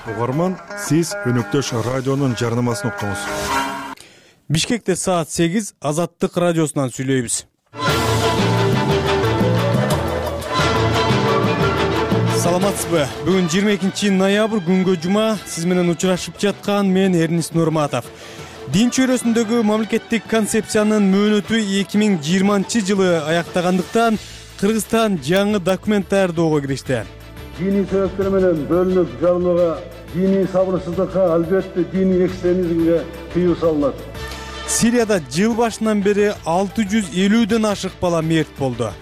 Угарман, сиз Өнөктөш радионун жарнамасын уктуңуз. Бишкекте саат 8 Азаттык радиосунан сүйлөйбүз. Саламатсызбы? Бүгүн 22 ноябрь күнгө жума. Сиз менен учурашып жаткан мен Эрнис Нурматов. Дин чөйрөсүндөгү мамлекеттик концепциянын мөөнөтү 2020 жылы аяктагандыктан Кыргызстан жаңы документ даярдоого киришти. Диний себептер менен бөлүнүп жалынууга, диний сабырсыздыкка, албетте диний экстремизмге тыюу салынат. Сирияда жыл башынан бери 650ден ашык бала мерт болду.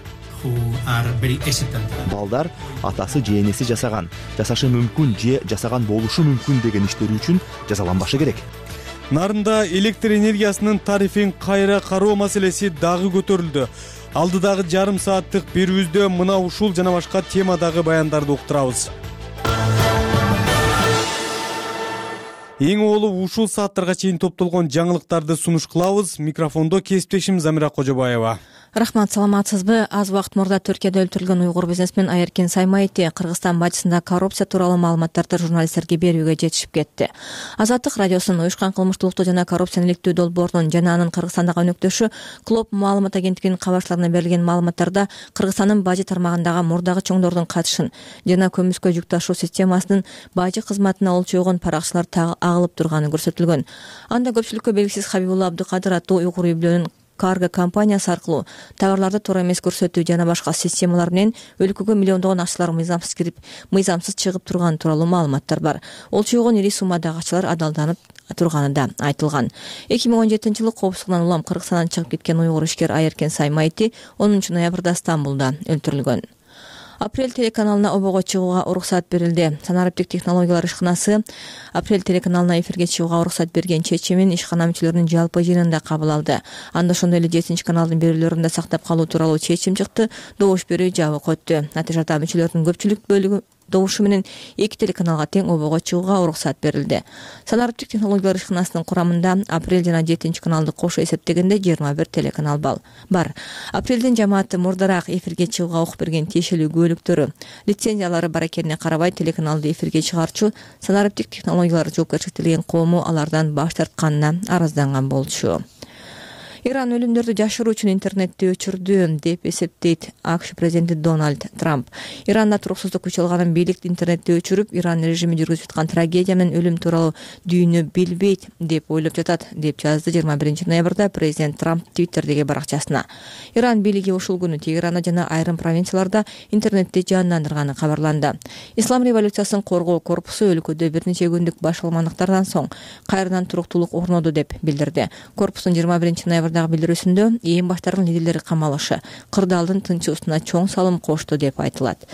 Балдар атасы же энеси жасашы мүмкүн же жасаган болушу мүмкүн деген иштери үчүн жазаланбашы керек. Нарында электр энергиясынын тарифин кайра кароо маселеси дагы көтөрүлдү. Алдыдагы жарым сааттык берүүбүздө мына ушул жана башка темадагы баяндарды уктурабыз. Эң олу ушул сааттарга чейин топтолгон жаңылыктарды сунуш кылабыз. Микрофондо кесиптешим Замира Кожобаева. Рахмат, саламатсызбы? Аз убакыт мурда Түркияда өлтүрүлгөн уйгур бизнесмен Айеркен Саймайти Кыргызстан бажысында коррупция тууралуу маалыматтарды журналисттерге берүүгө жетишип кетти. Азаттык радиосунун уюшкан кылмыштуулукту жана коррупцияны иликтөө долбоорунун жана анын Кыргызстандагы өнөктөшү Клоп маалымат агенттигинин кабарчыларына берилген маалыматтарда Кыргызстандын бажы тармагындагы мурдагы чоңдордун катышын жана көмүскө жүк ташуу системасынын бажы кызматына олчойгон паракчылар агылып турганы көрсөтүлгөн. Анда көпчүлүккө белгисиз Хабибулла Абдыкадыр аттуу уйгур үй-бүлөнүн карго компаниясы аркылуу товарларды туура эмес көрсөтүү жана башка системалар менен өлкөгө миллиондогон акчалар мыйзамсыз кирип, мыйзамсыз чыгып турганы тууралуу маалыматтар бар. Олчойгон ири суммадагы акчалар адалданып турганы да айтылган. 2017-жылы коопсуздугунан улам Кыргызстандан чыгып кеткен уйгур ишкер Айеркен Саймайти 10 ноябрда Стамбулда өлтүрүлгөн. Апрель телеканалына обого чыгууга уруксат берилди. Санариптик технологиялар ишканасы Апрель телеканалына эфирге чыгууга уруксат берген чечимин ишкана мүчөлөрүнүн жалпы жыйынында кабыл алды. Анда ошондой эле 7 каналдын берүүлөрүн да сактап калуу тууралуу чечим чыкты. Добуш берүү жабык өттү. Натыйжада мүчөлөрдүн көпчүлүк бөлүгү добушу менен 2 телеканалга тең обого чыгууга уруксат берилди. Санариптик технологиялар ишканасынын курамында Апрель жана 7 каналды кошо эсептегенде 21 телеканал бар. Апрелдин жамааты мурдараак эфирге чыгууга укук берген тиешелүү күбөлүктөрү, лицензиялары бар экенине карабай телеканалды эфирге чыгарчу Санариптик технологиялар жоопкерчиликтен коому алардан баш тартканына арызданган болчу. Иран өлүмдөрдү жашыруу үчүн интернетти өчүрдү деп эсептейт АКШ президенти Дональд Трамп. Иранда туруксуздук күч алганын бийлик интернетти өчүрүп, Иран режими жүргүзүп аткан трагедия менен өлүм тууралуу дүйнө билбейт деп ойлоп жатат, деп жазды 21 ноябрда президент Трамп Твиттердеги баракчасына. Иран бийлиги ушул күнү Тегеранда жана айрым провинцияларда интернетти жандандырганы кабарланды. Ислам революциясын коргоо корпусу өлкөдө бир нече күндүк башалмандыктардан соң кайрадан туруктуулук орноду деп билдирди. Корпустун 21 ноябрдагы билдирүүсүндө ээн баштардын лидерлери камалышы, кырдаалдын тынчыбысына чоң салым кошту деп айтылат.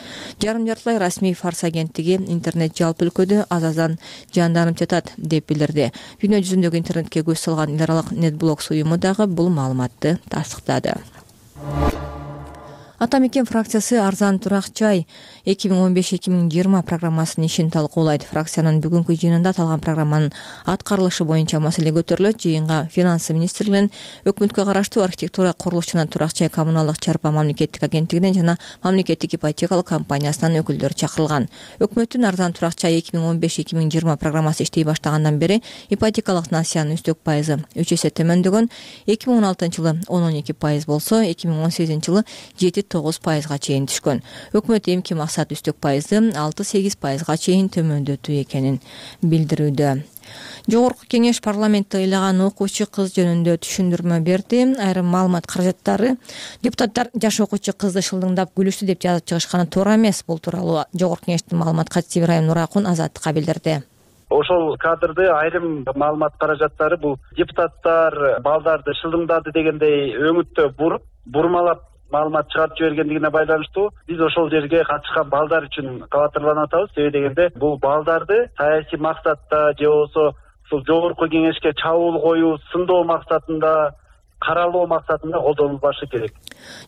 Жарым жартылай расмий Фарс агенттиги интернет жалпы өлкөдө азаздан жанданып жатат деп билдирди. Дүйнө жүзүндөгү интернетке көз салган эл аралык NetBlocks уюму дагы бул маалыматты тастыктады. Атамекен фракциясы арзан турак жай 2015-2020 программасынын ишин талкуулайт. Фракциянын бүгүнкү жыйынында аталган программанын аткарылышы боюнча маселе көтөрүлөт. Жыйынга финансы министрлигинен, өкмөткө караштуу архитектура, курулуш жана турак жай коммуналдык чарба мамлекеттик агенттигинен жана мамлекеттик ипотекалык компаниясынан өкүлдөр чакырылган. Өкмөттүн арзан турак жай 2015-2020 программасы иштей баштагандан бери ипотекалык насыянын үстөк пайызы 3 эсе төмөндөгөн. 2016-жылы 10-12% болсо, 2018-жылы 7-9%га чейин түшкөн. Өкмөт эмки максат үстөк пайызды 6-8%га чейин төмөндөтүү экенин билдирүүдө. Жогорку кеңеш парламентте ыйлаган окуучу кыз жөнүндө түшүндүрмө берди. Айрым маалымат каражаттары депутаттар жаш окуучу кызды шылдыңдап күлүштү деп жазып чыгышканы туура эмес. Бул тууралуу Жогорку кеңештин маалымат катчысы Ибрайым Нуракун Азаттыкка билдирди. Ошол кадрды айрым маалымат каражаттары бул депутаттар балдарды шылдыңдады дегендей өңүттө бурмалап маалымат чыгарып жибергендигине байланыштуу биз ошол жерге катышкан балдар үчүн кабатырланып атабыз. Себеби дегенде бул балдарды саясий максатта же болбосо ушул жогорку кеңешке чабуул коюу, сындоо максатында, каралоо максатында колдонулбашы керек.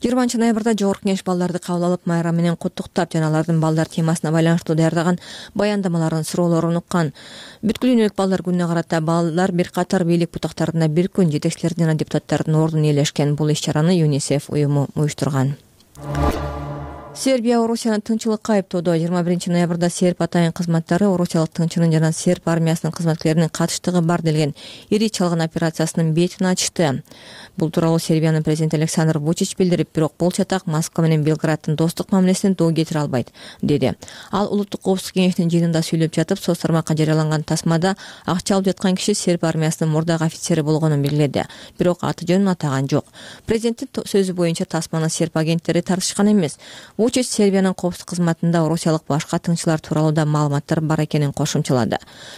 20 ноябрда Жогорку кеңеш балдарды кабыл алып, майрам менен куттуктап жана алардын балдар темасына байланыштуу даярдаган баяндамаларын, суроолорун уккан. Бүткүл дүйнөлүк балдар күнүнө карата балдар бир катар бийлик бутактарына бир күн жетекчилердин жана депутаттардын ордун ээлешкен. Бул иш-чараны ЮНИСЕФ уюму уюштурган. Сербия Орусияны тынччылыкка айыптоодо. 21 ноябрда серб атайын кызматтары Орусиялык тыңчынын жана серб армиясынын кызматкерлеринин катыштыгы бар делген ири чалгын операциясынын бетин ачты. Бул тууралуу Сербиянын президенти Александр Вучич билдирип, бирок бул чатак Москва менен Белграддын достук мамилесине доо кетире албайт, деди. Ал Улуттук коопсуздук кеңешинин жыйынында сүйлөп жатып, соц тармакка жарыяланган тасмада акча алып жаткан киши серб армиясынын мурдагы офицери болгонун белгиледи. Бирок аты жөнүн атаган жок. Президенттин сөзү боюнча тасманы серб агенттери тартышкан эмес. Вучич Сербиянын коопсуздук кызматында орусиялык башка тыңчылар тууралуу да маалыматтар бар экенин кошумчалады.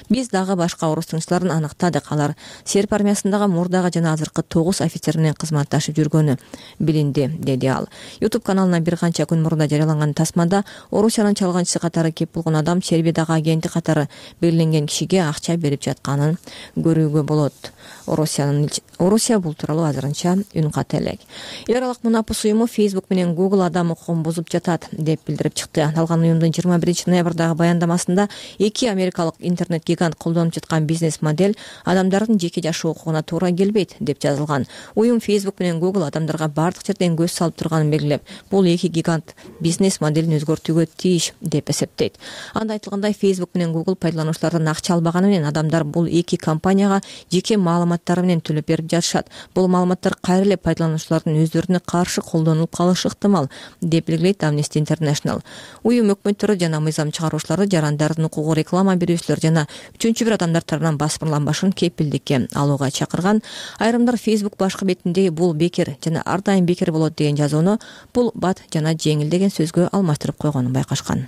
Биз дагы башка орус тыңчыларын аныктадык. Алар серб армиясындагы мурдагы жана азыркы 9 офицер менен кызматташып жүргөнү билинди, деди ал. YouTube каналына бир канча күн мурда жарыяланган тасмада Орусиянын чалганчысы катары кеп болгон адам Сербиядагы агенти катары белгиленген кишиге акча берип жатканын көрүүгө болот. Орусия бул тууралуу азырынча үн ката элек. Эл аралык мунапыс уюму Facebook менен Google адам укугун бузуп жатат деп билдирип чыкты. Аталган уюмдун 21 ноябрдагы баяндамасында эки америкалык интернет гигант колдонуп жаткан бизнес модель адамдардын жеке жашоо укугуна туура келбейт деп жазылган. Уюм Facebook менен Google адамдарга бардык жерден көз салып турганын белгилеп, бул эки гигант бизнес моделин өзгөртүүгө тийиш деп эсептейт. Анда айтылгандай, Facebook менен Google пайдалануучулардан акча албаганы менен адамдар бул эки компанияга жеке маалыматтары менен төлөп берип жатышат. Бул маалыматтар кайра эле пайдалануучулардын өздөрүнө каршы колдонулуп калышы ыктымал деп белгилейт Amnesty International. Уюм өкмөттөрү жана мыйзам чыгаруучулары жарандардын укугу реклама берүүчүлөр жана үчүнчү бир адамдар тарабынан басмырланбашын кепилдикке алууга чакырган. Айрымдар Facebook башкы бетинде бул бекер жана ар дайым бекер болот деген жазууну бул бат жана жеңил деген сөзгө алмаштырып койгонун байкашкан.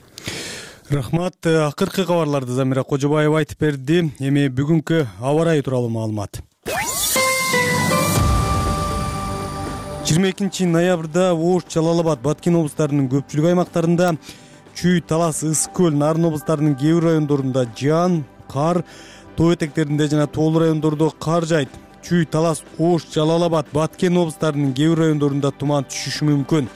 Рахмат. Акыркы кабарларды Замира Кожобаева айтып берди. Эми бүгүнкү аба ырайы тууралуу маалымат. 22 ноябрда Ош, Жалал-Абад, Баткен облустарынын көпчүлүк аймактарында, Чүй, Талас, Ысык көл, Нарын облустарынын кээ бир райондорунда жаан, кар, тоо этектеринде жана тоолуу райондордо кар жайт. Чүй, Талас, Ош, Жалал-Абад, Баткен облустарынын кээ бир райондорунда туман түшүшү мүмкүн.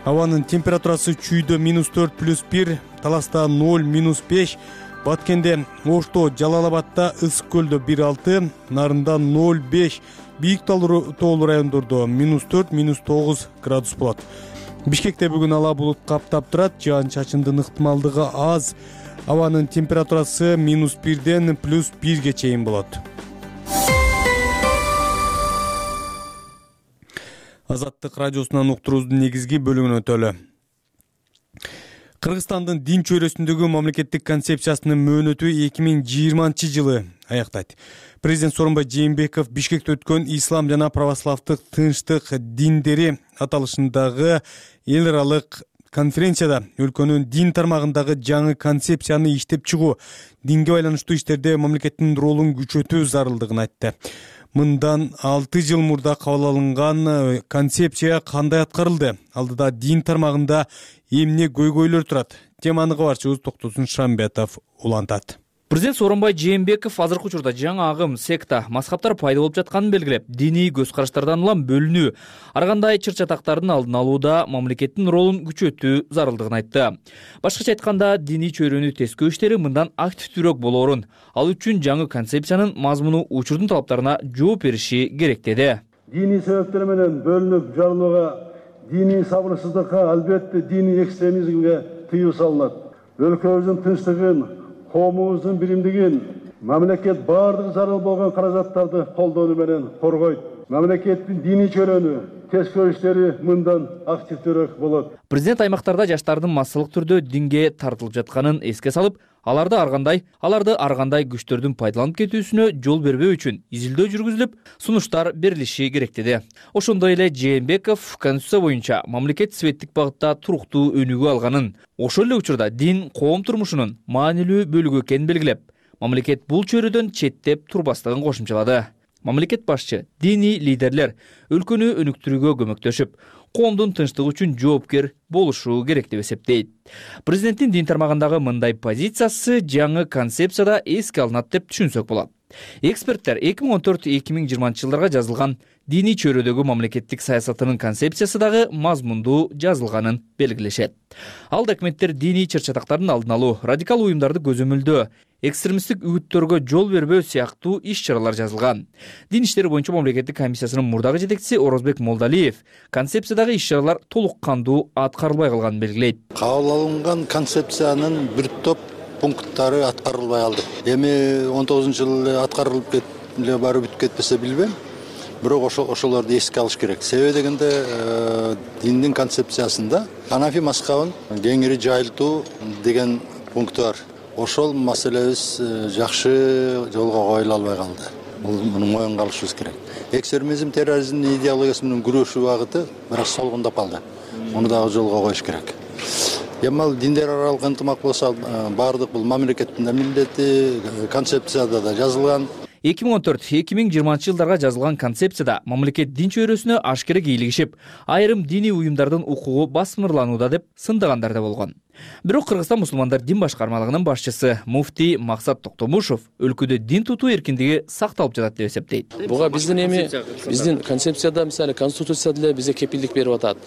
Абанын температурасы Чүйдө -4+1, Таласта 0-5, Баткенде, Ошто, Жалал-Абадта, Ысык көлдө 1-6, Нарында 0-5, бийик тоолуу райондордо -4-9 градус болот. Бишкекте бүгүн ала булут каптап турат, жаан-чачындын ыктымалдыгы аз. Абанын температурасы -1ден +1ге чейин болот. Азаттык радиосунан уктуруубуздун негизги бөлүгүнө өтөлү. Кыргызстандын дин чөйрөсүндөгү мамлекеттик концепциясынын мөөнөтү 2020 жылы аяктайт. Президент Сооронбай Жээнбеков Бишкекте өткөн Ислам жана православдык тынчтык диндери аталышындагы эл аралык конференцияда өлкөнүн дин тармагындагы жаңы концепцияны иштеп чыгуу, динге байланыштуу иштерде мамлекеттин ролун күчөтүү зарылдыгын айтты. Мындан 6 жыл мурда кабыл алынган концепция кандай аткарылды? Алдыда дин тармагында эмне көйгөйлөр турат? Теманы кабарчыбыз Токтосун Шамбетов улантат. Президент Сооронбай Жээнбеков азыркы учурда жаңы агым, секта, мазхабтар пайда болуп жатканын белгилеп, диний көз караштардан улам бөлүнүү, ар кандай чыр-чатактардын алдын алууда мамлекеттин ролун күчөтүү зарылдыгын айтты. Башкача айтканда, диний чөйрөнү тескөө иштери мындан активдүүрөөк болоорун, ал үчүн жаңы концепциянын мазмуну учурдун талаптарына жооп бериши керек деди. Диний себептер менен бөлүнүп жарылууга, диний сабырсыздыкка, албетте диний экстремизмге тыюу салынат. Өлкөбүздүн тынчтыгын, коомубуздун биримдигин мамлекет баардык зарыл болгон каражаттарды колдонуу менен коргойт. Мамлекеттин диний чөйрөнү тескөө иштери мындан активдүүрөөк болот. Президент аймактарда жаштардын массалык түрдө динге тартылып жатканын эске салып, аларды ар кандай күчтөрдүн пайдаланып кетүүсүнө жол бербөө үчүн изилдөө жүргүзүлүп, сунуштар берилиши керек деди. Ошондой эле Жээнбеков Конституция боюнча мамлекет светтик багытта туруктуу өнүгүү алганын, ошол эле учурда дин коом турмушунун маанилүү бөлүгү экенин белгилеп, мамлекет бул чөйрөдөн четтеп турбастыгын кошумчалады. Мамлекет башчы, диний лидерлер өлкөнү өнүктүрүүгө көмөктөшүп, коомдун тынчтыгы үчүн жооптер болушу керек деп эсептейт. Президенттин дин тармагындагы мындай позициясы жаңы концепцияда эске алынат деп түшүнсөк болот. Эксперттер 2014-2020 жылдарга жазылган диний чөйрөдөгү мамлекеттик саясатынын концепциясы дагы мазмундуу жазылганын белгилешет. Ал документтер диний чыр-чатактардын алдын алуу, радикал уюмдарды көзөмөлдөө, экстремисттик үгүттөргө жол бербөө сыяктуу иш-чаралар жазылган. Дин иштери боюнча мамлекеттик комиссиясынын мурдагы жетекчиси Орозбек Молдалиев концепциядагы иш-чаралар толук кандуу аткарылбай калганын белгилейт. Кабыл алынган концепциянын бир топ пункттары аткарылбай калды. Эми 19-жылы аткарылып эле барып бүтүп кетпесе билбейм. Бирок ошолорду эске алыш керек. Себеби дегенде диндин концепциясында ханафи мазхабын кеңири жайылтуу деген пункту бар. Ошол маселебиз жакшы жолго коюла албай калды. Муну моюнга алышыбыз керек. Экстремизм, терроризмдин идеологиясы менен күрөшүү багыты бирок солгундап калды. Муну дагы жолго коюш керек. Эми ал диндер аралык ынтымак болсо баардык бул мамлекеттин милдети, концепцияда да жазылган. 2014-2020 жылдарга жазылган концепцияда мамлекет дин чөйрөсүнө ашкере кийлигишип, айрым диний уюмдардын укугу басмырланууда деп сындагандар да болгон. Бирок Кыргызстан мусулмандар дин башкармалыгынын башчысы муфтий Максат Токтомушов өлкөдө дин тутуу эркиндиги сакталып жатат деп эсептейт. Буга биздин концепцияда, мисалы конституцияда деле бизге кепилдик берип атат.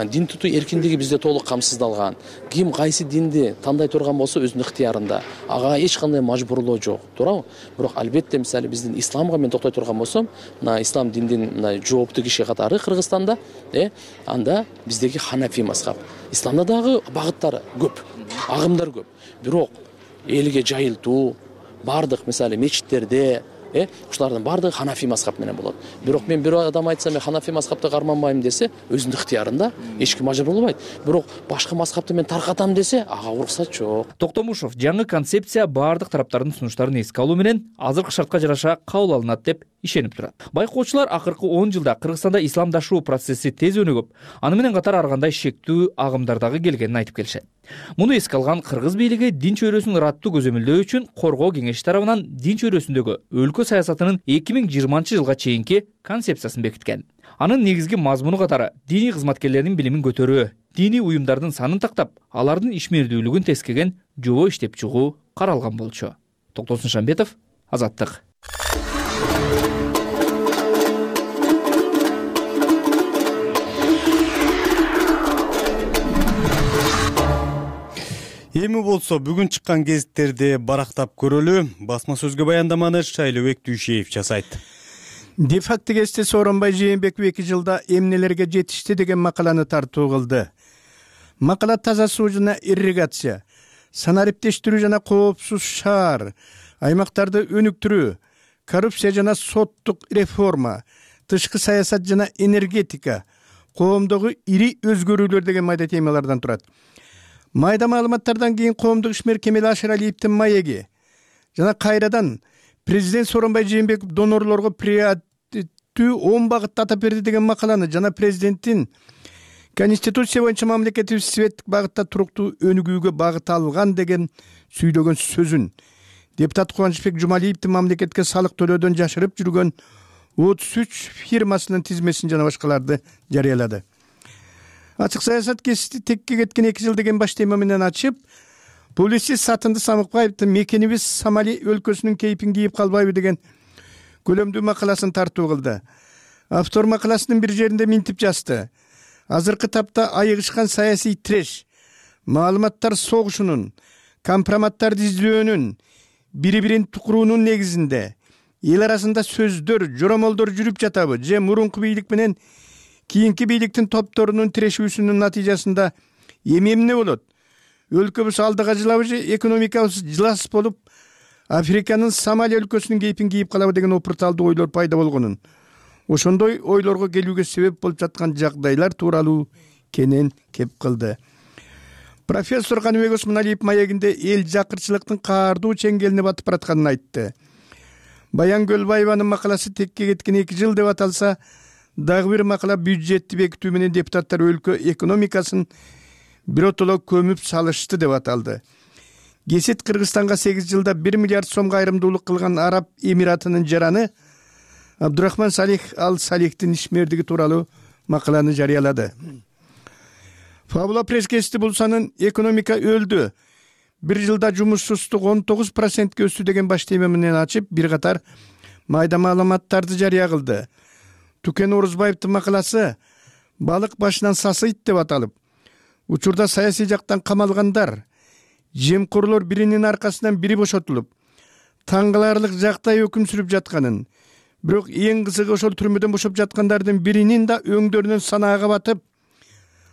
Дин тутуу эркиндиги бизде толук камсыздалган. Ким кайсы динди тандай турган болсо өзүнүн ыктыярында. Ага эч кандай мажбурлоо жок, туурабы? Бирок албетте мисалы биздин исламга мен токтой турган болсом, мына ислам диндин жооптуу киши катары Кыргызстанда, анда биздеги ханафи мазхаб. Исламда дагы багыттары көп, агымдар көп. Бирок элге жайылтуу, бардык мисалы мечиттерде, ушулардын бардыгы ханафи мазхаб менен болот. Бирок мен бир адам айтса, мен ханафи мазхабты карманбайм десе, өзүнүн ыктыярында, эч ким мажбурлабайт. Бирок башка мазхабты мен таркатам десе, ага уруксат жок. Токтомушов жаңы концепция бардык тараптардын сунуштарын эске алуу менен азыркы шартка жараша кабыл алынат деп ишенип турат. Байкоочулар акыркы 10 жылда Кыргызстанда исламдашуу процесси тез өнүгүп, аны менен катар ар кандай шектүү агымдардагы келгенин айтып келишет. Муну эске алган кыргыз бийлиги дин чөйрөсүн ыраттуу көзөмөлдөө үчүн Коргоо кеңеши тарабынан дин чөйрөсүндөгү өлкө саясатынын 2020 жылга чейинки концепциясын бекиткен. Анын негизги мазмуну катары диний кызматкерлердин билимин көтөрүү, диний уюмдардын санын тактап, алардын ишмердүүлүгүн тескеген жобо иштеп чыгуу каралган болчу. Токтосун Шамбетов, Азаттык. Эми болсо бүгүн чыккан гезиттерди барактап көрөлү. Басма сөзгө баяндаманы Шайлообек Дүйшеев жасайт. Де-факто гезити Сооронбай Жээнбеков 2 жылда эмнелерге жетишти деген макаланы тартуу кылды. Макала таза суу жана ирригация, санариптештирүү жана коопсуз шаар, аймактарды өнүктүрүү, коррупция жана соттук реформа, тышкы саясат жана энергетика, коомдогу ири өзгөрүүлөр деген майда темалардан турат. Майда маалыматтардан кийин коомдук ишмер Кемел Ашыралиевдин маеги жана кайрадан президент Сооронбай Жээнбеков донорлорго приоритеттүү 10 багытты атап берди деген макаланы жана президенттин конституция боюнча мамлекеттик светтик багытта туруктуу өнүгүүгө багыт алган деген сүйлөгөн сөзүн депутат Кубанычбек Жумалиевдин мамлекетке салык төлөөдөн жашырып жүргөн 33 фирмасынын тизмесин жана башкаларды жарыялады. Ачык саясат кесипти текке кеткен 2 жыл деген баш тема менен ачып, публицист Сатынды Самыкбаевдин мекенибиз Сомали өлкөсүнүн кейпин кийип калбайбы деген көлөмдүү макаласын тартуу кылды. Автор макаласынын бир жеринде минтип жазды. Азыркы тапта айыгышкан саясий треш, маалыматтар согушунун, компроматтарды издөөнүн, бири-бирин тукуруунун негизинде эл арасында сөздөр, жоромолдор жүрүп жатабы же мурунку бийлик менен кийинки бийликтин топторунун тирешүүсүнүн натыйжасында эмне болот? Өлкөбүз алдыга жылабы же экономикабыз жылас болуп, Африканын Сомали өлкөсүнүн кейпин кийип калабы деген опурталдуу ойлор пайда болгонун, ошондой ойлорго келүүгө себеп болуп жаткан жагдайлар тууралуу кенен кеп кылды. Профессор Каныбек Осмоналиев маегинде эл жакырчылыктын каардуу чеңгелине батып баратканын айтты. Баян Көлбаеванын макаласы текке кеткен 2 жыл деп аталса, дагы бир макала бюджетти бекитүү менен депутаттар өлкө экономикасын биротоло көмүп салышты деп аталды. Гесит Кыргызстанга 8 жылда 1 миллиард сомго айрымдуулук кылган Араб Эмиратынын жараны Абдурахман Салих Ал-Салихтин ишмердиги тууралуу макаланы жарыялады. Фабула пресс-гезити Булсанын экономика өлдү, 1 жылда жумушсуздук 19%ке өстү деген баш тема менен ачып, бир катар майда маалыматтарды жарыя кылды. Тукен Орузбаевдин макаласы балык башынан сасыйт деп аталып, учурда саясий жактан камалгандар, жемкорлор биринин аркасынан бири бошотулуп, таң каларлык жактай өкүм сүрүп жатканын, бирок эң кызыгы ошол түрмөдөн бошоп жаткандардын биринин да өңдөрүнөн санаага батып,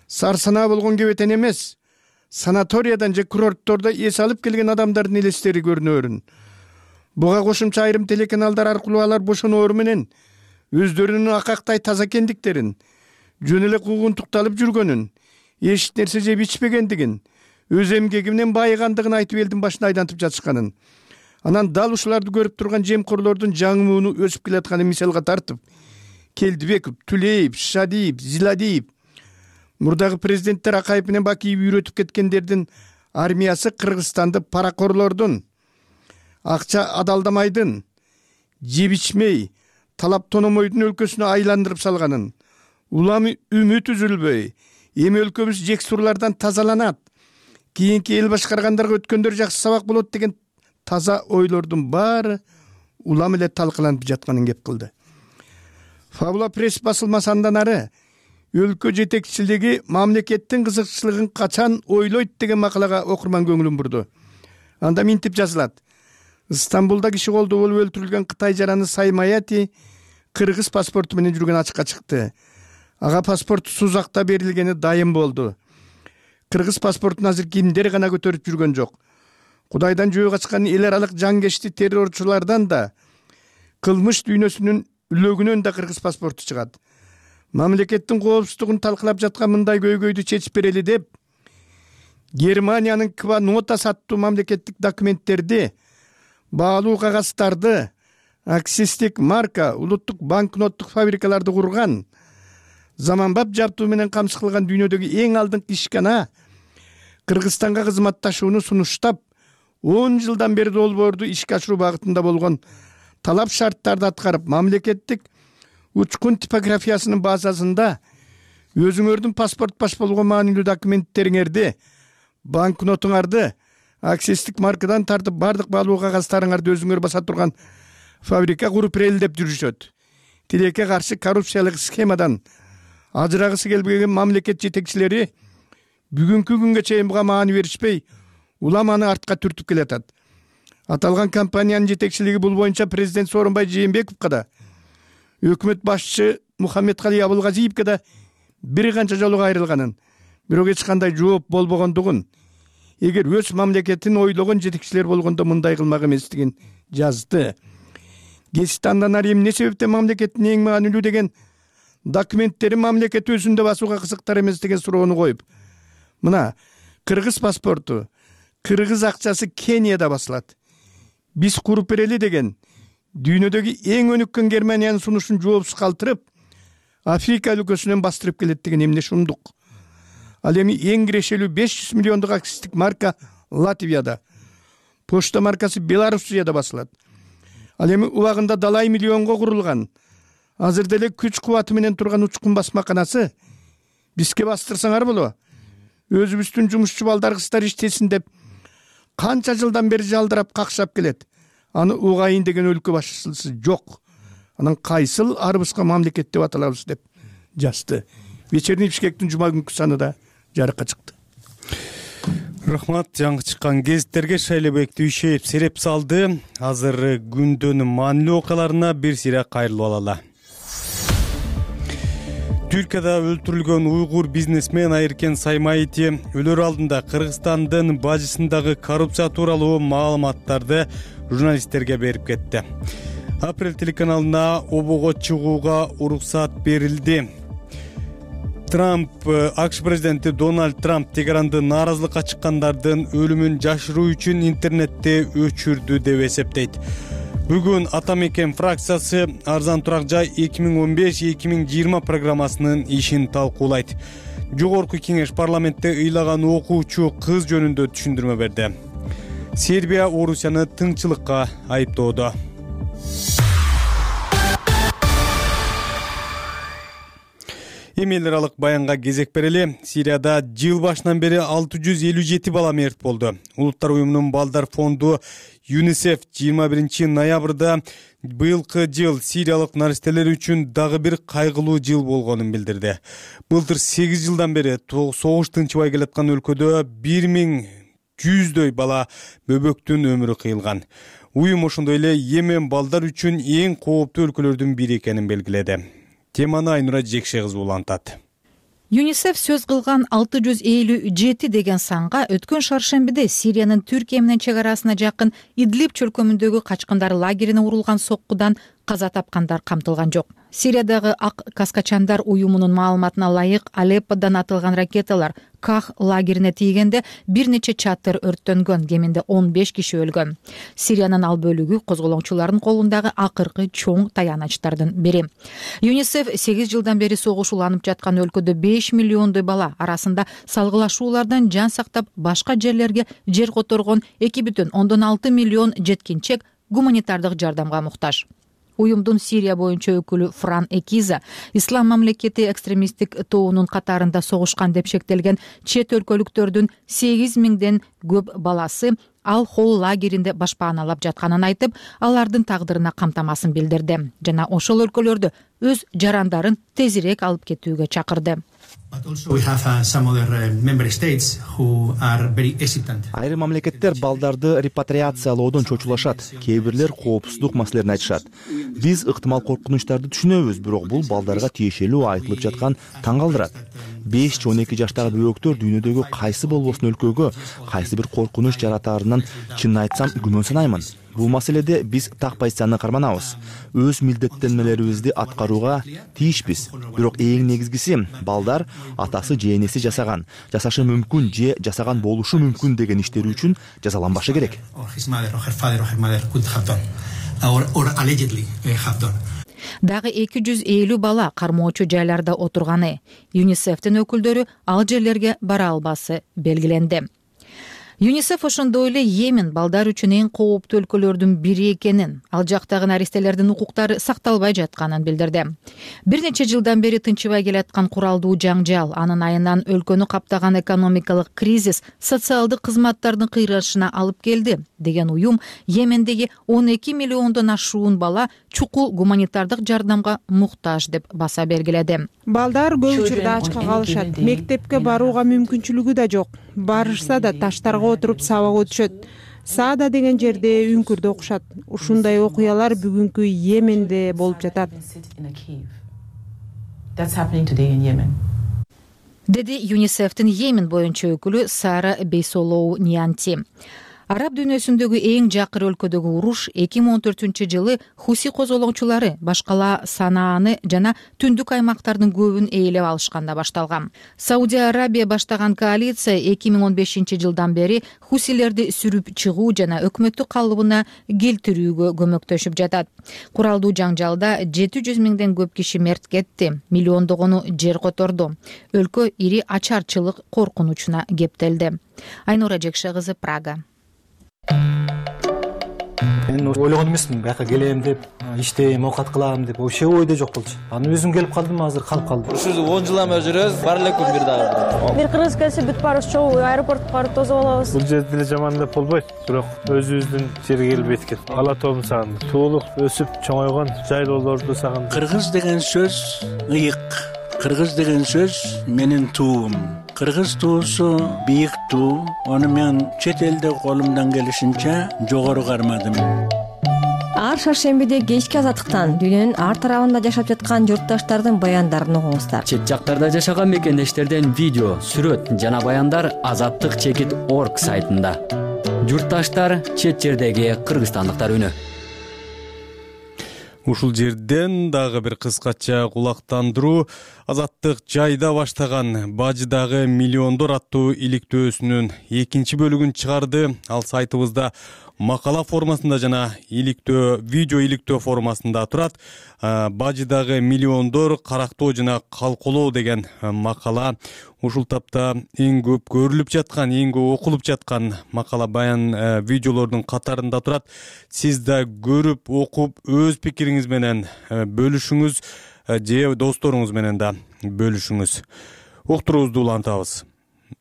сарсанаа болгон кебетен эмес, санаториядан же курорттордо эс алып келген адамдардын элестери көрүнөрүн. Буга кошумча айрым телеканалдар аркылуу алар бошоноору менен өздөрүнүн акактай таза экендиктерин, жөн эле куугунтукталып жүргөнүн, эч нерсе жеп ичпегендигин, өз эмгеги менен байыгандыгын айтып элдин башына айлантып жатышканын, анан дал ушуларды көрүп турган жемкорлордун жаңы мууну өсүп келатканын мисалга тартып, Келдибеков, Түлеев, Шадиев, Зиладиев, мурдагы президенттер Акаев менен Бакиев үйрөтүп кеткендердин армиясы Кыргызстанды паракорлордун, акча адалдамайдын, жеп ичмей, талап тономойдун өлкөсүнө айландырып салганын, улам үмүт үзүлбөй, эми өлкөбүз жексурлардан тазаланат, кийинки эл башкаргандарга өткөндөр жакшы сабак болот деген таза ойлордун баары улам эле талкаланып жатканын кеп кылды. Фабула пресс басылмасы андан ары өлкө жетекчилиги мамлекеттин кызыкчылыгын качан ойлойт деген макалага окурман көңүлүн бурду. Анда минтип жазылат: Стамбулда киши колдо болуп өлтүрүлгөн Кытай жараны Саймаяти кыргыз паспорту менен жүргөн ачыкка чыкты. Ага паспорт Сузакта берилгени дайым болду. Кыргыз паспортун азыр кимдер гана көтөрүп жүргөн жок. Кудайдан жөө качкан эл аралык жангечти террорчулардан да, кылмыш дүйнөсүнүн үлөгүнөн да кыргыз паспорту чыгат. Мамлекеттин коопсуздугун талкалап жаткан мындай көйгөйдү чечип берели деп, Германиянын Ква Нотас аттуу мамлекеттик документтерди, баалуу кагазтарды, акцистик марка, улуттук банкноттук фабрикаларды курган, заманбап жабдуу менен камсыз кылган дүйнөдөгү эң алдыңкы ишкана Кыргызстанга кызматташууну сунуштап, 10 жылдан бери долбоорду ишке ашыруу багытында болгон талап шарттарды аткарып, мамлекеттик учкун типографиясынын базасында өзүңөрдүн паспорт баш болгон маанилүү документтериңерди, банкнотуңарды, акцистик маркадан тартып бардык баалуу кагаздарыңарды өзүңөр баса турган фабрика куруп ирелдеп жүрүшөт. Тилекке каршы коррупциялык схемадан ажырагысы келбеген мамлекет жетекчилери бүгүнкү күнгө чейин буга маани беришпей, улам аны артка түртүп келатат. Аталган компаниянын жетекчилиги бул боюнча президент Сооронбай Жээнбековго да, өкмөт башчысы Мухаммедкали Абылгазиевге да бир канча жолу кайрылганын, бирок эч кандай жооп болбогондугун, эгер өз мамлекетин ойлогон жетекчилер болгондо мындай кылмак эместигин жазды. Кесипти андан ары эмне себептен мамлекеттин эң маанилүү деген документтери мамлекет өзүндө басууга кызыктар эмес деген суроону коюп, мына кыргыз паспорту, кыргыз акчасы Кенияда басылат, биз куруп берели деген дүйнөдөгү эң өнүккөн Германиянын сунушун жоопсуз калтырып, Африка өлкөсүнөн бастырып келет деген эмне шумдук. Ал эми эң кирешелүү 500 миллиондук акцистик марка Латвияда, почта маркасы Белоруссияда басылат. Ал эми убагында далай миллионго курулган, азыр деле күч кубаты менен турган учкун басмаканасы бизге бастырсаңар боло, өзүбүздүн жумушчу балдар кыздар иштесин деп канча жылдан бери жалдырап какшап келет. Аны угайын деген өлкө башчысы жок. Анан кайсыл арыбызга мамлекет деп аталабыз деп жазды. Вечерний Бишкектин жума күнкү санында жарыкка чыкты. Рахмат, жаңы чыккан гезиттерге Шайлебек Дүйшеев сереп салды. Азыр күндүн маанилүү окуяларына бир сире кайрылып алалы. Түркияда өлтүрүлгөн уйгур бизнесмен Айыркен Саймаити өлөр алдында Кыргызстандын бажысындагы коррупция тууралуу маалыматтарды журналисттерге берип кетти. Апрель телеканалына обого чыгууга уруксат берилди. АКШ президенти Дональд Трамп Тегаранды нааразылыкка чыккандардын өлүмүн жашыруу үчүн интернетте өчүрдү деп эсептейт. Бүгүн Ата мекен фракциясы Арзан турак жай 2015-2020 программасынын ишин талкуулайт. Жогорку кеңеш парламентте ыйлаган окуучу кыз жөнүндө түшүндүрмө берди. Сербия Орусияны тыңчылыкка айыптоодо. Эми эл аралык баянга кезек берели. Сирияда жыл башынан бери 657 бала мерт болду. Улуттар уюмунун балдар фонду ЮНИСЕФ 21 ноябрда быйылкы жыл сириялык наристелер үчүн дагы бир кайгылуу жыл болгонун билдирди. Былтыр 8 жылдан бери согуш тынчыбай келаткан өлкөдө 1100дөй бала бөбөктүн өмүрү кыйылган. Уюм ошондой эле Йемен балдар үчүн эң кооптуу өлкөлөрдүн бири экенин белгиледи. Теманы Айнура Жекше кызы улантат. ЮНИСЕФ сөз кылган 657 деген санга өткөн шаршембиде Сириянын Түркия менен чек арасына жакын Идлиб чөлкөмүндөгү качкындар лагерине урулган соккудан каза тапкандар камтылган жок. Сириядагы Ак Каскачандар уюмунун маалыматына ылайык, Алепподан атылган ракеталар Ках лагерине тийгенде бир нече чатыр өрттөнгөн, кеминде 15 киши өлгөн. Сириянын ал бөлүгү козголоңчулардын колундагы акыркы чоң таянычтардын бири. ЮНИСЕФ 8 жылдан бери согуш уланып жаткан өлкөдө 5 миллиондой бала арасында салгылашуулардан жан сактап башка жерлерге жер которгон 2,6 миллион жеткинчек гуманитардык жардамга муктаж. Уюмдун Сирия боюнча өкүлү Фран Экиза Ислам мамлекети экстремисттик тобунун катарында согушкан деп шектелген чет өлкөлүктөрдүн 8 миңден көп баласы Ал-Хол лагеринде башпааналап жатканын айтып, алардын тагдырына камтамасын билдирди жана ошол өлкөлөрдө өз жарандарын тезирээк алып кетүүгө чакырды. Айрым мамлекеттер балдарды репатриациялоодон чочулашат, кээ бирлер коопсуздук маселелерин айтышат. Биз ыктымал коркунучтарды түшүнөбүз, бирок бул балдарга тиешелүү айтылып жаткан таң калтырат. 5-12 жаштагы бөбөктөр дүйнөдөгү кайсы болбосун өлкөгө кайсы бир коркунуч жаратаарынан чынын айтсам күмөн санаймын. Бул маселеде биз так позицияны карманабыз. Өз милдеттенмелерибизди аткарууга тийишпиз. Бирок эң негизгиси балдар атасы же энеси жасаган, жасашы мүмкүн же жасаган болушу мүмкүн деген иштери үчүн жазаланбашы керек. Дагы 250 бала кармоочу жайларда отурганы. ЮНИСЕФтин өкүлдөрү ал жерлерге бара албасы белгиленди. ЮНИСЕФ ошондой эле Йемен балдар үчүн эң кооптуу өлкөлөрдүн бири экенин, ал жактагы наристелердин укуктары сакталбай жатканын билдирди. Бир нече жылдан бери тынчыбай келаткан куралдуу жаңжал, анын айынан өлкөнү каптаган экономикалык кризис социалдык кызматтардын кыйрашына алып келди деген уюм Йемендеги 12 миллиондон ашуун бала чукул гуманитардык жардамга муктаж деп баса белгиледи. Балдар көп учурда ачка калышат, мектепке барууга мүмкүнчүлүгү да жок. Барышса да таштарга отуруп сабак өтүшөт. Саада деген жерде үңкүрдө окушат. Ушундай окуялар бүгүнкү Йеменде болуп жатат. Деди ЮНИСЕФтин Йемен боюнча өкүлү Сара Бейсолоу Нианти. Араб дүйнөсүндөгү эң жакыр өлкөдөгү уруш 2014-жылы Хуси козголоңчулары башкала Санааны жана түндүк аймактардын көбүн ээлеп алышканда башталган. Саудия Арабия баштаган коалиция 2015-жылдан бери Хусилерди сүрүп чыгуу жана өкмөттүк калыбына келтирүүгө көмөктөшүп жатат. Куралдуу жаңжалда 700 миңден көп киши мерт кетти, миллиондогону жер которду. Өлкө ири ачарчылык коркунучуна кептелди. Айнура Жекше кызы, Прага. Мен ойлогон эмесмин, бияка келем деп, иштейм, оокат кылам деп, вообще ойдо жок болчу. Аны өзүм келип калдым, азыр калып калдым. Ушул 10 жылдан бери жүрөбүз, бар эле күн бир дагы. Бир кыргыз келсе бүт барыбыз чогуу аэропортко барып тосуп алабыз. Бул жерде деле жаман деп болбойт, бирок өзүбүздүн жерге келип эткен. Ала тоомду сагындым. Туулук, өсүп чоңойгон жайлоолорду сагындым. Кыргыз деген сөз ыйык. Кыргыз деген сөз менин туум. Кыргыз туусу бийик туу. Аны мен чет элде колумдан келишинче жогору кармадым. Ар шаршембиде кечки азаттыктан дүйнөнүн ар тарабында жашап жаткан журтташтардын баяндарын угуңуздар. Чет жактарда жашаган мекендештерден видео, сүрөт жана баяндар azattik.org сайтында. Журтташтар, чет жердеги кыргызстандыктар үнү. Ушул жерден дагы бир кыскача кулактандыруу. Азаттык жайда баштаган Бажыдагы миллиондор аттуу иликтөөсүнүн экинчи бөлүгүн чыгарды. Ал сайтыбызда макала формасында жана видео иликтөө формасында турат. Бажыдагы миллиондор карактоо жана калколоо деген макала ушул тапта эң көп көрүлүп жаткан, эң көп окулуп жаткан макала баян видеолордун катарында турат. Сиз да көрүп, окуп, өз пикириңиз менен бөлүшүңүз же досторуңуз менен да бөлүшүңүз. Уктуруубузду улантабыз.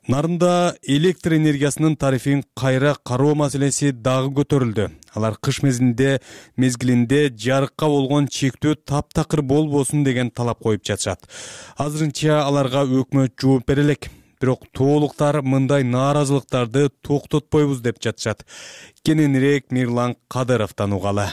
Нарында электр энергиясынын тарифин кайра кароо маселеси дагы көтөрүлдү. Алар кыш мезгилинде жарыкка болгон чектөө таптакыр болбосун деген талап коюп жатышат. Азырынча аларга өкмөт жооп бере элек. бирок тоолуктар мындай нааразылыктарды токтотпойбуз деп жатышат. Кененирээк Мирлан Кадыровдон угалы.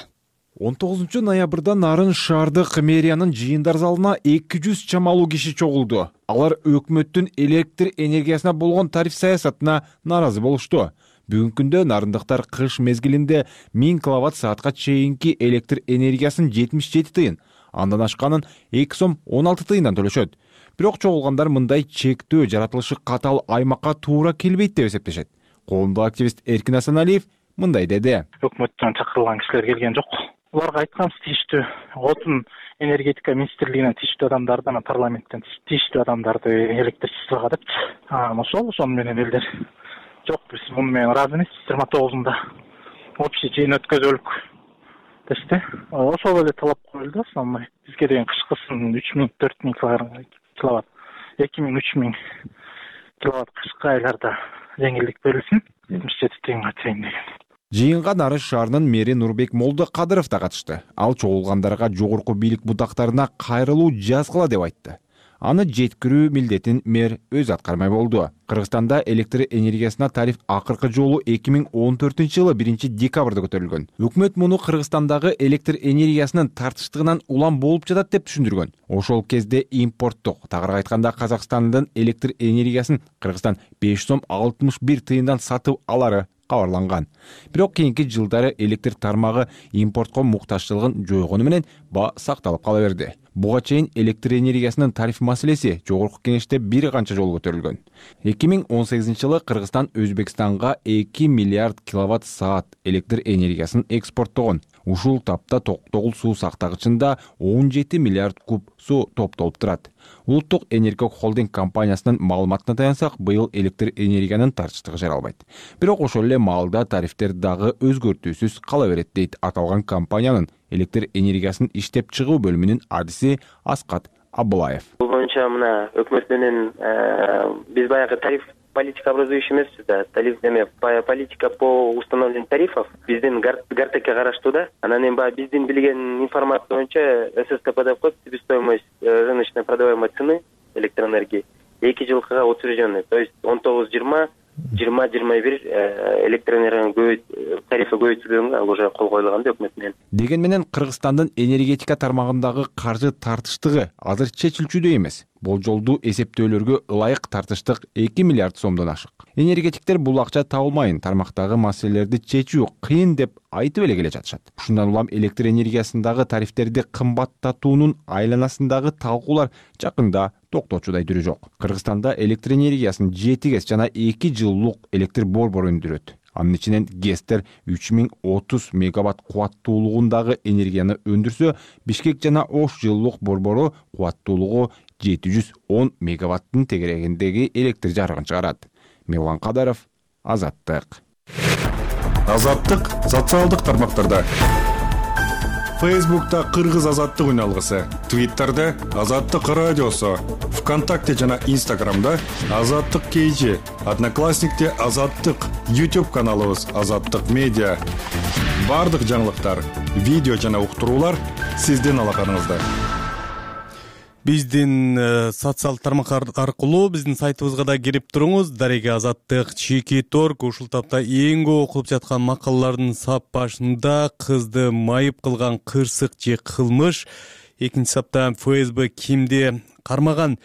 19 ноябрда Нарын шаардык мэриянын жыйындар залына 200 чамалуу киши чогулду. Алар өкмөттүн электр энергиясына болгон тариф саясатына нааразы болушту. Бүгүнкү күндө нарындыктар кыш мезгилинде 1000 киловатт саатка чейинки электр энергиясын 77 тыйын, андан ашканын 2 сом 16 тыйындан төлөшөт. Бирок чогулгандар мындай чектөө жаратылышы катал аймакка туура келбейт деп эсептешет. Коомдук активист Эркин Асаналиев мындай деди. Өкмөттөн чакырылган кишилер келген жок. Аларга айтканбыз тийиштүү отун энергетика министрлигинен тийиштүү адамдарды, парламенттен тийиштүү адамдарды электричествого депчи. Ошону менен элдер жок, биз муну менен ыраазы эмеспиз. 29-unda общий жыйын өткөзөлүк дешти. Ошол эле талап коюлду. Самай бизге деген кышкысын 3000-4000 киловатт, 2000-3000 киловатт кышкы айларда жеңилдик берилсин, 77 тыйынга чейин деген. Жыйынга Нарын шаарынын мэри Нурбек Молдо Кадыров да катышты. Ал чогулгандарга жогорку бийлик бутактарына кайрылуу жазгыла деп айтты. Аны жеткирүү милдетин мэр өзү аткармай болду. Кыргызстанда электр энергиясына тариф акыркы жолу 2014-жылы 1-декабрда көтөрүлгөн. Өкмөт муну Кыргызстандагы электр энергиясынын тартыштыгынан улам болуп жатат деп түшүндүргөн. Ошол кезде импорттук, тагыраак айтканда Казакстандын электр энергиясын Кыргызстан 5 сом 61 тыйындан сатып алары кабарланган. Бирок кийинки жылдары электр тармагы импортко муктажчылыгын жойгону менен баа сакталып кала берди. Буга чейин электр энергиясынын тариф маселеси жогорку кеңеште бир канча жолу көтөрүлгөн. 2018-жылы Кыргызстан Өзбекстанга 2 миллиард киловатт саат электр энергиясын экспорттогон. Ушул тапта Токтогул суу сактагычында 17 миллиард куб суу топтолуп турат. Улуттук энергия холдинг компаниясынын маалыматына таянсак, быйыл электр энергиянын тартыштыгы жаралбайт. Бирок ошол эле маалда тарифтер дагы өзгөртүүсүз кала берет дейт аталган компаниянын электр энергиясын иштеп чыгуу бөлүмүнүн адиси Аскат Абылаев. Бул боюнча мына өкмөт менен биз баягы тариф политика образующий эмеспиз да. Политика по установлению тарифов биздин Гартекке караштуу да. Анан эми баягы биздин билген информация боюнча ССКП деп коет, себестоимость рыночной продаваемой цены электроэнергии 2 жылкыга утвержденный. То есть 19-20 20-21 электроэнергиянын тарифи көбөйтүлгөнгө ал уже кол коюлган да өкмөт менен. Деген менен Кыргызстандын энергетика тармагындагы каржы тартыштыгы азыр чечилчүдөй эмес. Болжолдуу эсептөөлөргө ылайык тартыштык 2 миллиард сомдон ашык. Энергетиктер бул акча табылмайын, тармактагы маселелерди чечүү кыйын деп айтып эле келе жатышат. Ушундан улам электр энергиясындагы тарифтерди кымбаттатуунун айланасындагы талкуулар жакында токточудай түрү жок. Кыргызстанда электр энергиясын 7 ГЭС жана 2 жылуулук электр борбору өндүрөт. Анын ичинен ГЭСтер 3030 мегаватт кубаттуулугундагы энергияны өндүрсө, Бишкек жана Ош жылуулук борбору кубаттуулугу 710 мегаваттын тегерегиндеги электр жарыгын чыгарат. Мирлан Кадыров, Азаттык. Азаттык социалдык тармактарда. Фейсбукта Кыргыз Азаттык үн алгысы, Твиттерде Азаттык радиосу, ВКонтакте жана Инстаграмда Азаттык KG, Одноклассникте Азаттык, YouTube каналыбыз Азаттык Медиа. Бардык жаңылыктар, видео жана уктуруулар сиздин алаканыңызда. Биздин социалдык тармактар аркылуу биздин сайтыбызга да кирип туруңуз. Дареге Азаттык Чекит.орг ушул тапта эң көп окулуп жаткан макалалардын сап башында кызды майып кылган кырсык же кылмыш, экинчи сапта ФСБ кимди кармаган,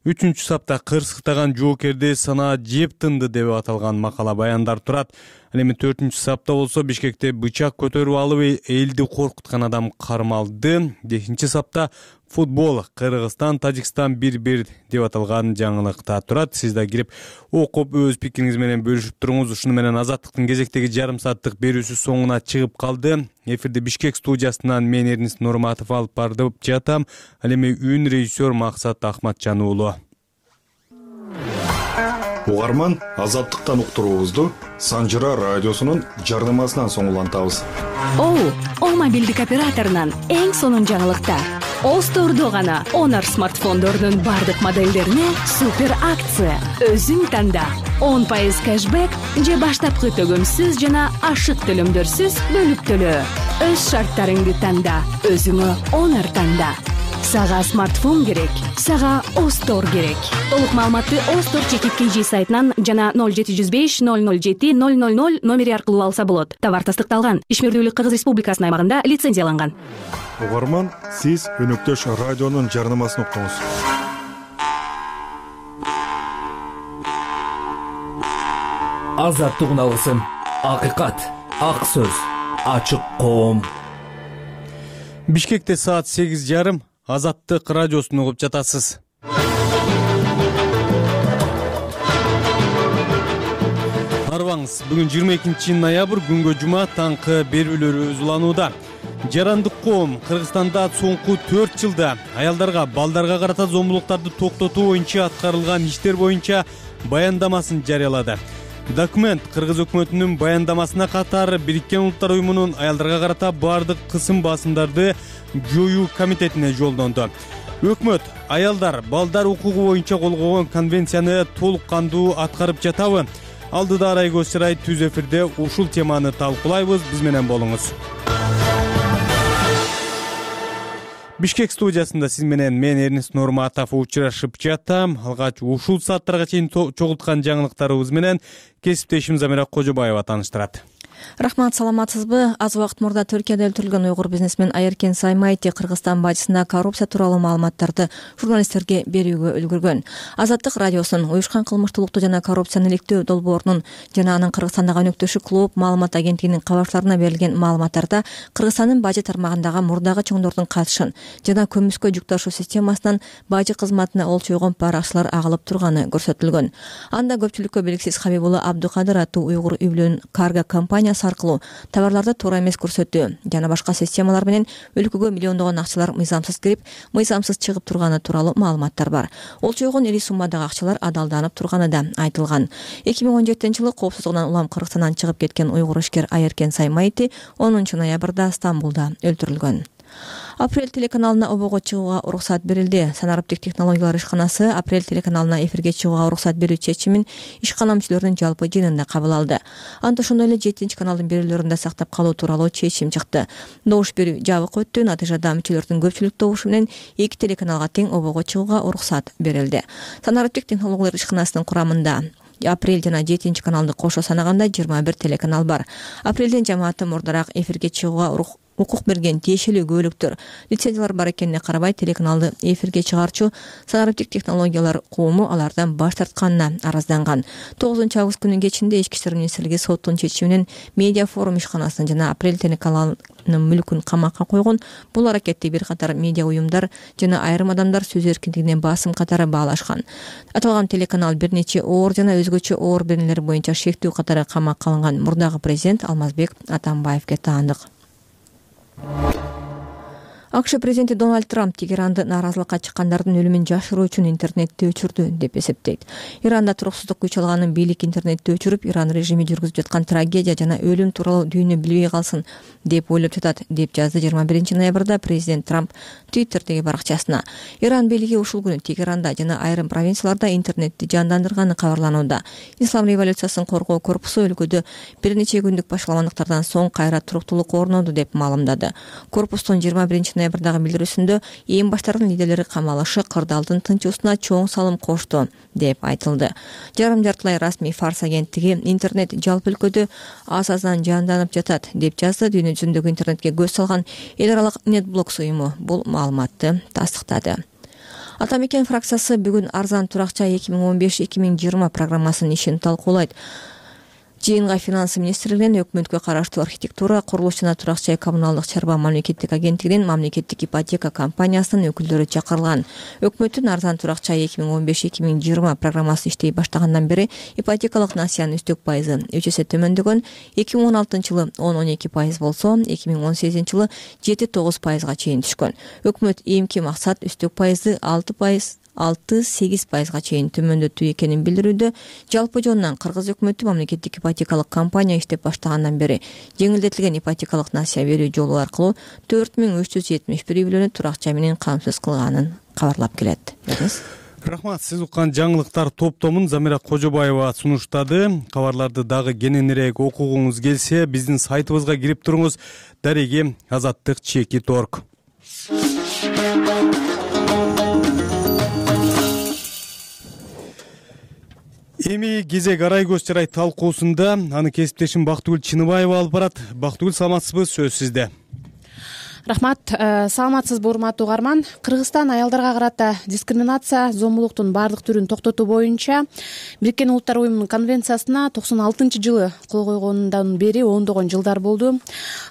үчүнчү сапта кырсыктаган жоокерди санаа жеп тынды деп аталган макала баяндар турат. Ал эми 4-чү сапта болсо Бишкекте бычак көтөрүп алып элди коркуткан адам кармалды. 5-чи сапта футбол Кыргызстан Тажикстан 1-1 деп аталган жаңылыкта турат. Сиз да кирип окуп өз пикириңиз менен бөлүшүп туруңуз. Ушуну менен Азаттыктын кезектеги жарым сааттык берүүсү соңуна чыгып калды. Эфирде Бишкек студиясынан мен Эрнис Нурматов алып бардып жатам. Ал эми үн режиссер Максат Ахматжан уулу. Угарман Азаттыктан уктуруубузду Санжыра радиосунун жарнамасынан соңулантабыз. О мобилдик операторунан эң сонун жаңылыктар. Остордо гана Honor смартфондордун бардык моделдерине супер акция. Өзүң танда 10% кэшбэк же баштапкы төгөмсүз жана ашык төлөмдөрсүз бөлүп төлөө. Өз шарттарыңды танда, өзүңө Honor танда. Сага смартфон керек, сага Остор керек. Толук маалыматты Остор чекит KG сайтынан жана 0705 007 000 номери аркылуу алса болот. Товар тастыкталган. Ишмердүүлүк Кыргыз Республикасынын аймагында лицензияланган. Угарман, сиз өнөктөш радионун жарнамасын уктуңуз. Азаттык алгысым, акыйкат, ак сөз, ачык коом. Бишкекте саат 8:30. Азаттык радиосун угуп жатасыз. Арбаңыз, бүгүн 22 ноябрь күнгө жума таңкы берүүлөр уланууда. Жарандык коом Кыргызстанда соңку 4 жылда аялдарга, балдарга карата зомбулуктарды токтотуу боюнча аткарылган иштер боюнча баяндамасын жарыялады. Документ Кыргыз өкмөтүнүн баяндамасына катар Бириккен Улуттар уюмунун аялдарга карата бардык кысым басымдарды жоюу комитетине жолдонду. Өкмөт аялдар, балдар укугу боюнча кол койгон конвенцияны толук кандуу аткарып жатабы? Алдыда Арайгөз Сырай түз эфирде ушул теманы талкуулайбыз. Биз менен болуңуз. Бишкек студиясында сиз менен мен Эрнис Нурматов учурашып жатам. Алгач ушул сааттарга чейин чогулткан жаңылыктарыбыз менен кесиптешим Замира Кожобаева тааныштырат. Рахмат, саламатсызбы? Аз убакыт мурда Түркияда өлтүрүлгөн уйгур бизнесмен Айеркен Саймайти Кыргызстан бажысында коррупция тууралуу маалыматтарды журналисттерге берүүгө үлгүргөн. Азаттык радиосунун уюшкан кылмыштуулукту жана коррупцияны иликтөө долбоорунун жана анын Кыргызстандагы өнөктөшү клуб маалымат агенттигинин кабарчыларына берилген маалыматтарда Кыргызстандын бажы тармагындагы мурдагы чоңдордун катышын жана көмүскө жүк ташуу системасынан бажы кызматына олчойгон паракчылар агылып турганы көрсөтүлгөн. Анда көпчүлүккө белгисиз Хабибулла Абдукадыр аттуу уйгур үйлөн карго компания аркылуу товарларды туура эмес көрсөтүү жана башка системалар менен өлкөгө миллиондогон акчалар мыйзамсыз кирип, мыйзамсыз чыгып турганы тууралуу маалыматтар бар. Олчойгон ири суммадагы акчалар адалданып турганы да айтылган. 2017-жылы коопсуздугунан улам Кыргызстандан чыгып кеткен уйгур ишкер Айеркен Саймайти 10 ноябрда Стамбулда өлтүрүлгөн. Апрель телеканалына обого чыгууга уруксат берилди. Санариптик технологиялар ишканасы Апрель телеканалына эфирге чыгууга уруксат берүү чечимин ишкана мүчөлөрүнүн жалпы жыйынында кабыл алды. Анда ошондой эле 7 каналдын берүүлөрүндө сактап калуу тууралуу чечим чыкты. Добуш берүү жабык өттү. Натыйжада мүчөлөрдүн көпчүлүк добушу менен 2 телеканалга тең обого чыгууга уруксат берилди. Санариптик технологиялар ишканасынын курамында Апрель жана 7 каналды кошо санаганда 21 телеканал бар. Апрелдин жамааты мурдараак эфирге чыгууга укук берген тиешелүү көбөлүктөр, лицензиялар бар экенине карабай телеканалды эфирге чыгарчу Санариптик технологиялар коому алардан баш тартканына арызданган. 9 август күнүнүн кечинде Ички иштер министрлиги соттун чечими менен Медиа форум ишканасын жана Апрель телеканалынын мүлкүн камакка койгон. Бул аракетти бир катар медиа уюмдар жана айрым адамдар сөз эркиндигине басым катары баалашкан. Аталган телеканал бир нече оор жана өзгөчө оор беренелер боюнча шектүү катары камакка алынган мурдагы президент Алмазбек Атамбаевге таандык. АКШ президенти Дональд Трамп Тегеранды нааразылыкка чыккандардын өлүмүн жашыруу үчүн интернетти өчүрдү деп эсептейт. Иранда туруксуздук күч алганын бийлик интернетти өчүрүп, Иран режими жүргүзүп жаткан трагедия жана өлүм тууралуу дүйнө билбей калсын деп ойлоп жатат, деп жазды 21 ноябрда президент Трамп Твиттердеги баракчасына. Иран бийлиги ушул күнү Тегеранда жана айрым провинцияларда интернетти жандандырганы кабарланууда. Ислам революциясын коргоо корпусу өлкөдө бир нече күндүк башаламандыктардан соң кайра туруктуулук орноду деп маалымдады. Корпустун 21 ноябрдагы билдирүүсүндө эң баштардын лидерлери камалышы кырдаалдын тынчуусуна чоң салым кошту деп айтылды. Жарым жартылай расмий Фарс агенттиги интернет жалпы өлкөдө аз-аздан жанданып жатат деп жазды. Дүйнө жүзүндөгү интернетке көз салган эл аралык NetBlocks уюму бул маалыматты тастыктады. Атамекен фракциясы бүгүн арзан туракча 2015-2020 программасынын ишин талкуулайт. Жыйынга финансы министрлигинен өкмөткө караштуу архитектура, курулуш жана турак жай коммуналдык чарба мамлекеттик агенттигинин мамлекеттик ипотека компаниясынын өкүлдөрү чакырылган. Өкмөттүн арзан турак жай 2015-2020 программасы иштей баштагандан бери ипотекалык насыянын үстөк пайызы 3 эсе төмөндөгөн. 2016-жылы 10-12% болсо, 2018-жылы 7-9%га чейин түшкөн. Өкмөт эмки максат үстөк пайызды 6-8%га чейин төмөндөтүү экенин билдирүүдө. Жалпы жонунан Кыргыз өкмөтү мамлекеттик ипотекалык компания иштеп баштагандан бери жеңилдетилген ипотекалык насыя берүү жолу аркылуу 4371 үй бүлөнү турак жай менен камсыз кылганын кабарлап келет. Рахмат, сиз уккан жаңылыктар топтомун Замира Кожобаева сунуштады. Кабарларды дагы кененирээк окугуңуз келсе, биздин сайтыбызга кирип туруңуз. Дареги Азаттык /. Эми кезек арай көз чарай талкуусунда аны кесиптешим Бактыгүл Чыныбаева алып барат. Бактыгүл, саламатсызбы? Сөз сизде. Рахмат. Саламатсызбы урматтуу угарман. Кыргызстан аялдарга карата дискриминация, зомбулуктун баардык түрүн токтотуу боюнча Бириккен Улуттар Уюмунун конвенциясына 96-жылы кол койгонундан бери ондогон жылдар болду.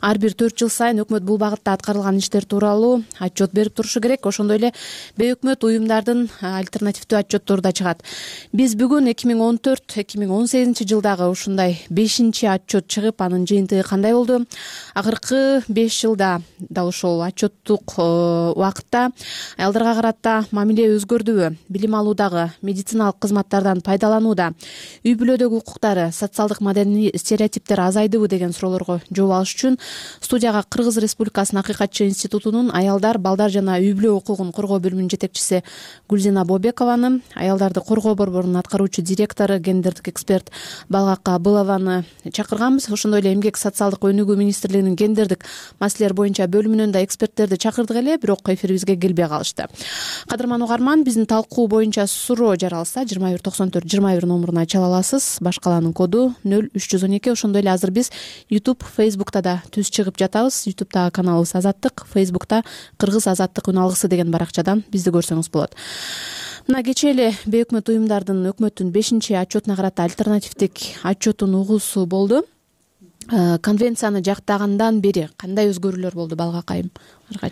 Ар бир 4 жыл сайын өкмөт бул багытта аткарылган иштер тууралуу отчет берип турушу керек. Ошондой эле бейөкмөт уюмдардын альтернативдүү отчеттору да чыгат. Биз бүгүн 2014-2018 жылдагы ушундай 5-чи отчет чыгып, анын жыйынтыгы кандай болду? Акыркы 5 жылда ошол отчеттук убакытта аялдарга карата мамиле өзгөрдүбү? Билим алуудагы, медициналык кызматтардан пайдаланууда, үй бүлөдөгү укуктары, социалдык маданий стереотиптер азайдыбы деген суроолорго жооп алыш үчүн студияга Кыргыз Республикасынын Акыйкатчы институтунун аялдар, балдар жана үй бүлө укугун коргоо бөлүмүнүн жетекчиси Гүлзина Бобекованы, аялдарды коргоо борборунун аткаруучу директору, гендердик эксперт Балгак Абылованы чакырганбыз. Ошондой эле Эмгек социалдык өнүгүү министрлигинин гендердик маселелер боюнча бөлүмүнөн да эксперттерди чакырдык эле, бирок эфирибизге келбей калышты. Кадырман угарман, биздин талкуу боюнча суроо жаралса 2194-21 номуруна чала аласыз. Башкаланын коду 0312. Ошондой эле азыр биз YouTube, Facebook'та да түз чыгып жатабыз. YouTube'дагы каналыбыз Азаттык, Facebook'та Кыргыз Азаттык үн алгысы деген баракчадан бизди көрсөңүз болот. Мына кечээ эле бейөкмөт уюмдардын өкмөттүн 5-чи отчетуна карата альтернативдик отчетун угуусу болду. Конвенцияны жактагандан бери кандай өзгөрүүлөр болду Балгак айым?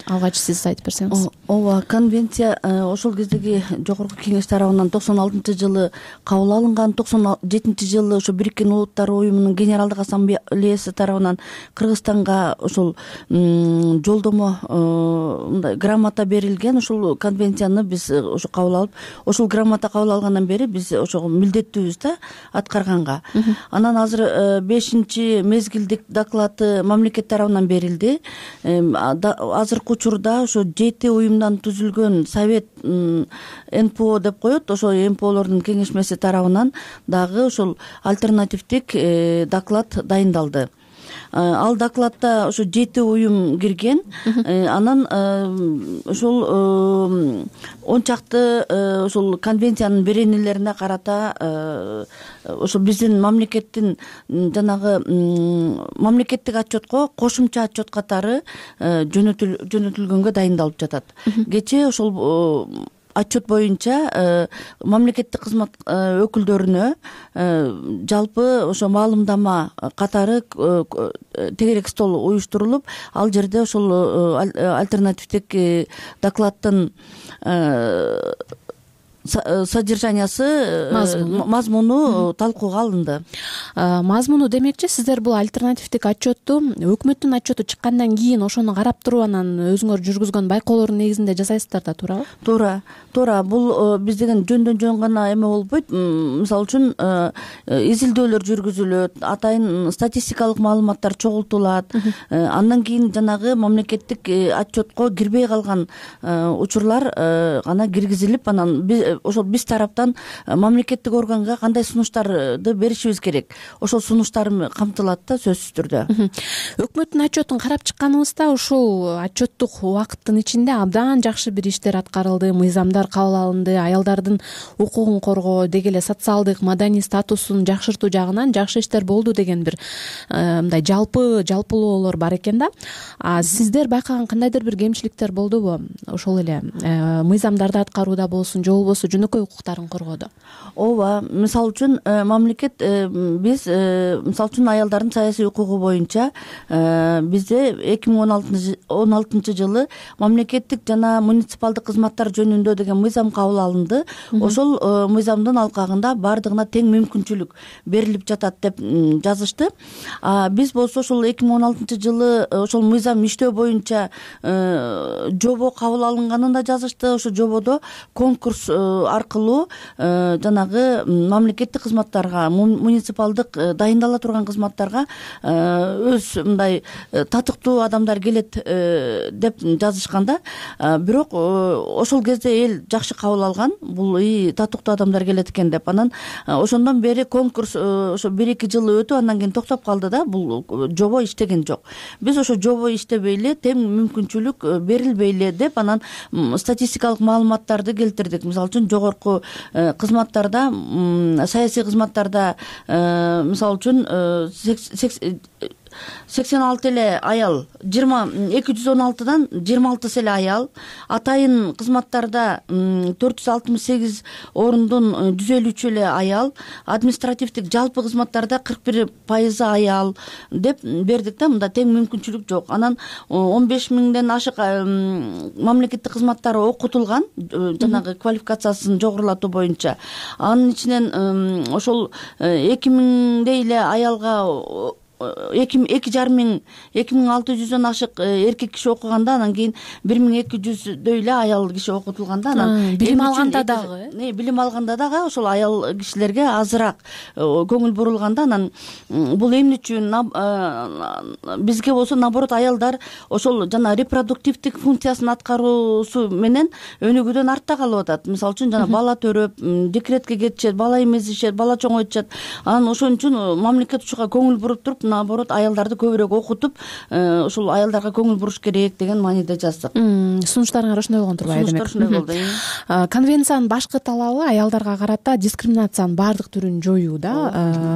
Алгач сиз айтып берсеңиз. Ооба, конвенция ошол кездеги жогорку кеңеш тарабынан 96-жылы кабыл алынган. 97-жылы ошо Бириккен Улуттар Уюмунун Генералдык Ассамблеясы тарабынан Кыргызстанга ошол жолдомо мындай грамота берилген. Ошол конвенцияны биз ошо кабыл алып, ошол грамота кабыл алгандан бери биз ошого милдеттүүбүз да аткарганга. Анан азыр 5-чи мезгилдик доклады мамлекет тарабынан берилди. Азыркы учурда ошо 7 уюмдан түзүлгөн совет НПО деп коет. Ошо НПОлордун кеңешмеси тарабынан дагы ошол альтернативдик доклад дайындалды. Ал докладда ошо 7 уюм кирген. Анан ошол 10 чакты ошол конвенциянын беренелерине карата ошо биздин мамлекеттин жанагы мамлекеттик отчетко кошумча отчет катары жөнөтүлгөнгө дайындалып жатат. Кечээ ошол отчет боюнча мамлекеттик кызмат өкүлдөрүнө жалпы ошо маалымдама катары тегерек стол уюштурулуп, ал жерде ошол альтернативдик докладдын содержаниясы, мазмуну талкууга алынды. Мазмуну демекчи, сиздер бул альтернативдик отчетту өкмөттүн отчету чыккандан кийин ошону карап туруп анан өзүңөр жүргүзгөн байкоолордун негизинде жасайсыздар да, туурабы? Туура. Бул биз деген жөндөн жөн гана эме болбойт. Мисалы үчүн изилдөөлөр жүргүзүлөт, атайын статистикалык маалыматтар чогултулат. Андан кийин жанагы мамлекеттик отчетко кирбей калган учурлар гана киргизилип, анан ошол биз тараптан мамлекеттик органга кандай сунуштарды беришибиз керек, ошол сунуштар камтылат да, сөзсүз түрдө. Өкмөттүн отчетун карап чыкканыбызда ушул отчеттук убакыттын ичинде абдан жакшы бир иштер аткарылды, мыйзамдар кабыл алынды, аялдардын укугун коргоо, деги эле социалдык маданий статусун жакшыртуу жагынан жакшы иштер болду деген бир мындай жалпылоолор бар экен да. Сиздер байкаган кандайдыр бир кемчиликтер болдубу? Ошол эле мыйзамдарды аткарууда болсун, же болбосо жөнөкөй укуктарын коргоодо? Ооба, мисалы үчүн мамлекет биз мисалы үчүн аялдардын саясий укугу боюнча бизде 2016 жылы мамлекеттик жана муниципалдык кызматтар жөнүндө деген мыйзам кабыл алынды. Ошол мыйзамдын алкагында баардыгына тең мүмкүнчүлүк берилип жатат деп жазышты. Биз болсо ошол 2016 жылы ошол мыйзам иштөө боюнча жобо кабыл алынганын да жазышты. Ошол жободо конкурс аркылуу жанагы мамлекеттик кызматтарга, муниципалдык дайындала турган кызматтарга өз мындай татыктуу адамдар келет деп жазышканда, бирок ошол кезде эл жакшы кабыл алган, бул татыктуу адамдар келет экен деп. Анан ошондон бери конкурс ошо 1-2 жыл өтүп, андан кийин токтоп калды да, бул жобо иштеген жок. Биз ошо жобо иштебей эле, тең мүмкүнчүлүк берилбей эле деп, анан статистикалык маалыматтарды келтирдик. Мисалы үчүн үчүн жогорку кызматтарда, саясий кызматтарда мисалы үчүн 86 эле аял, 216дан 26 эле аял, атайын кызматтарда 468 орындун 153 эле аял, административдик жалпы кызматтарда 41% аял деп бердик да. Мында тең мүмкүнчүлүк жок. Анан 15 миңден ашык мамлекеттик кызматтар окутулган, жанагы квалификациясын жогорулатуу боюнча. Анын ичинен ошол 2000дей эле аялга 2600дөн ашык эркек киши окуганда, анан кийин 1200дөй эле аял киши окутулганда, анан билим алганда дагы ошол аял кишилерге азыраак көңүл бурулганда, анан бул эмне үчүн бизге болсо наоборот аялдар ошол жана репродуктивдик функциясын аткаруусу менен өнүгүүдөн артта калып атат. Мисалы үчүн жана бала төрөп, декретке кетишет, бала эмизишет, бала чоңойтушат. Анан ошон үчүн мамлекет ушуга көңүл буруп туруп, наоборот аялдарды көбүрөөк окутуп, ошол аялдарга көңүл буруш керек деген мааниде жаздык. Сунуштарыңар ошондой болгон турбайбы? Сунуштар ошондой болду. Конвенциянын башкы талабы аялдарга карата дискриминациянын баардык түрүн жоюу да.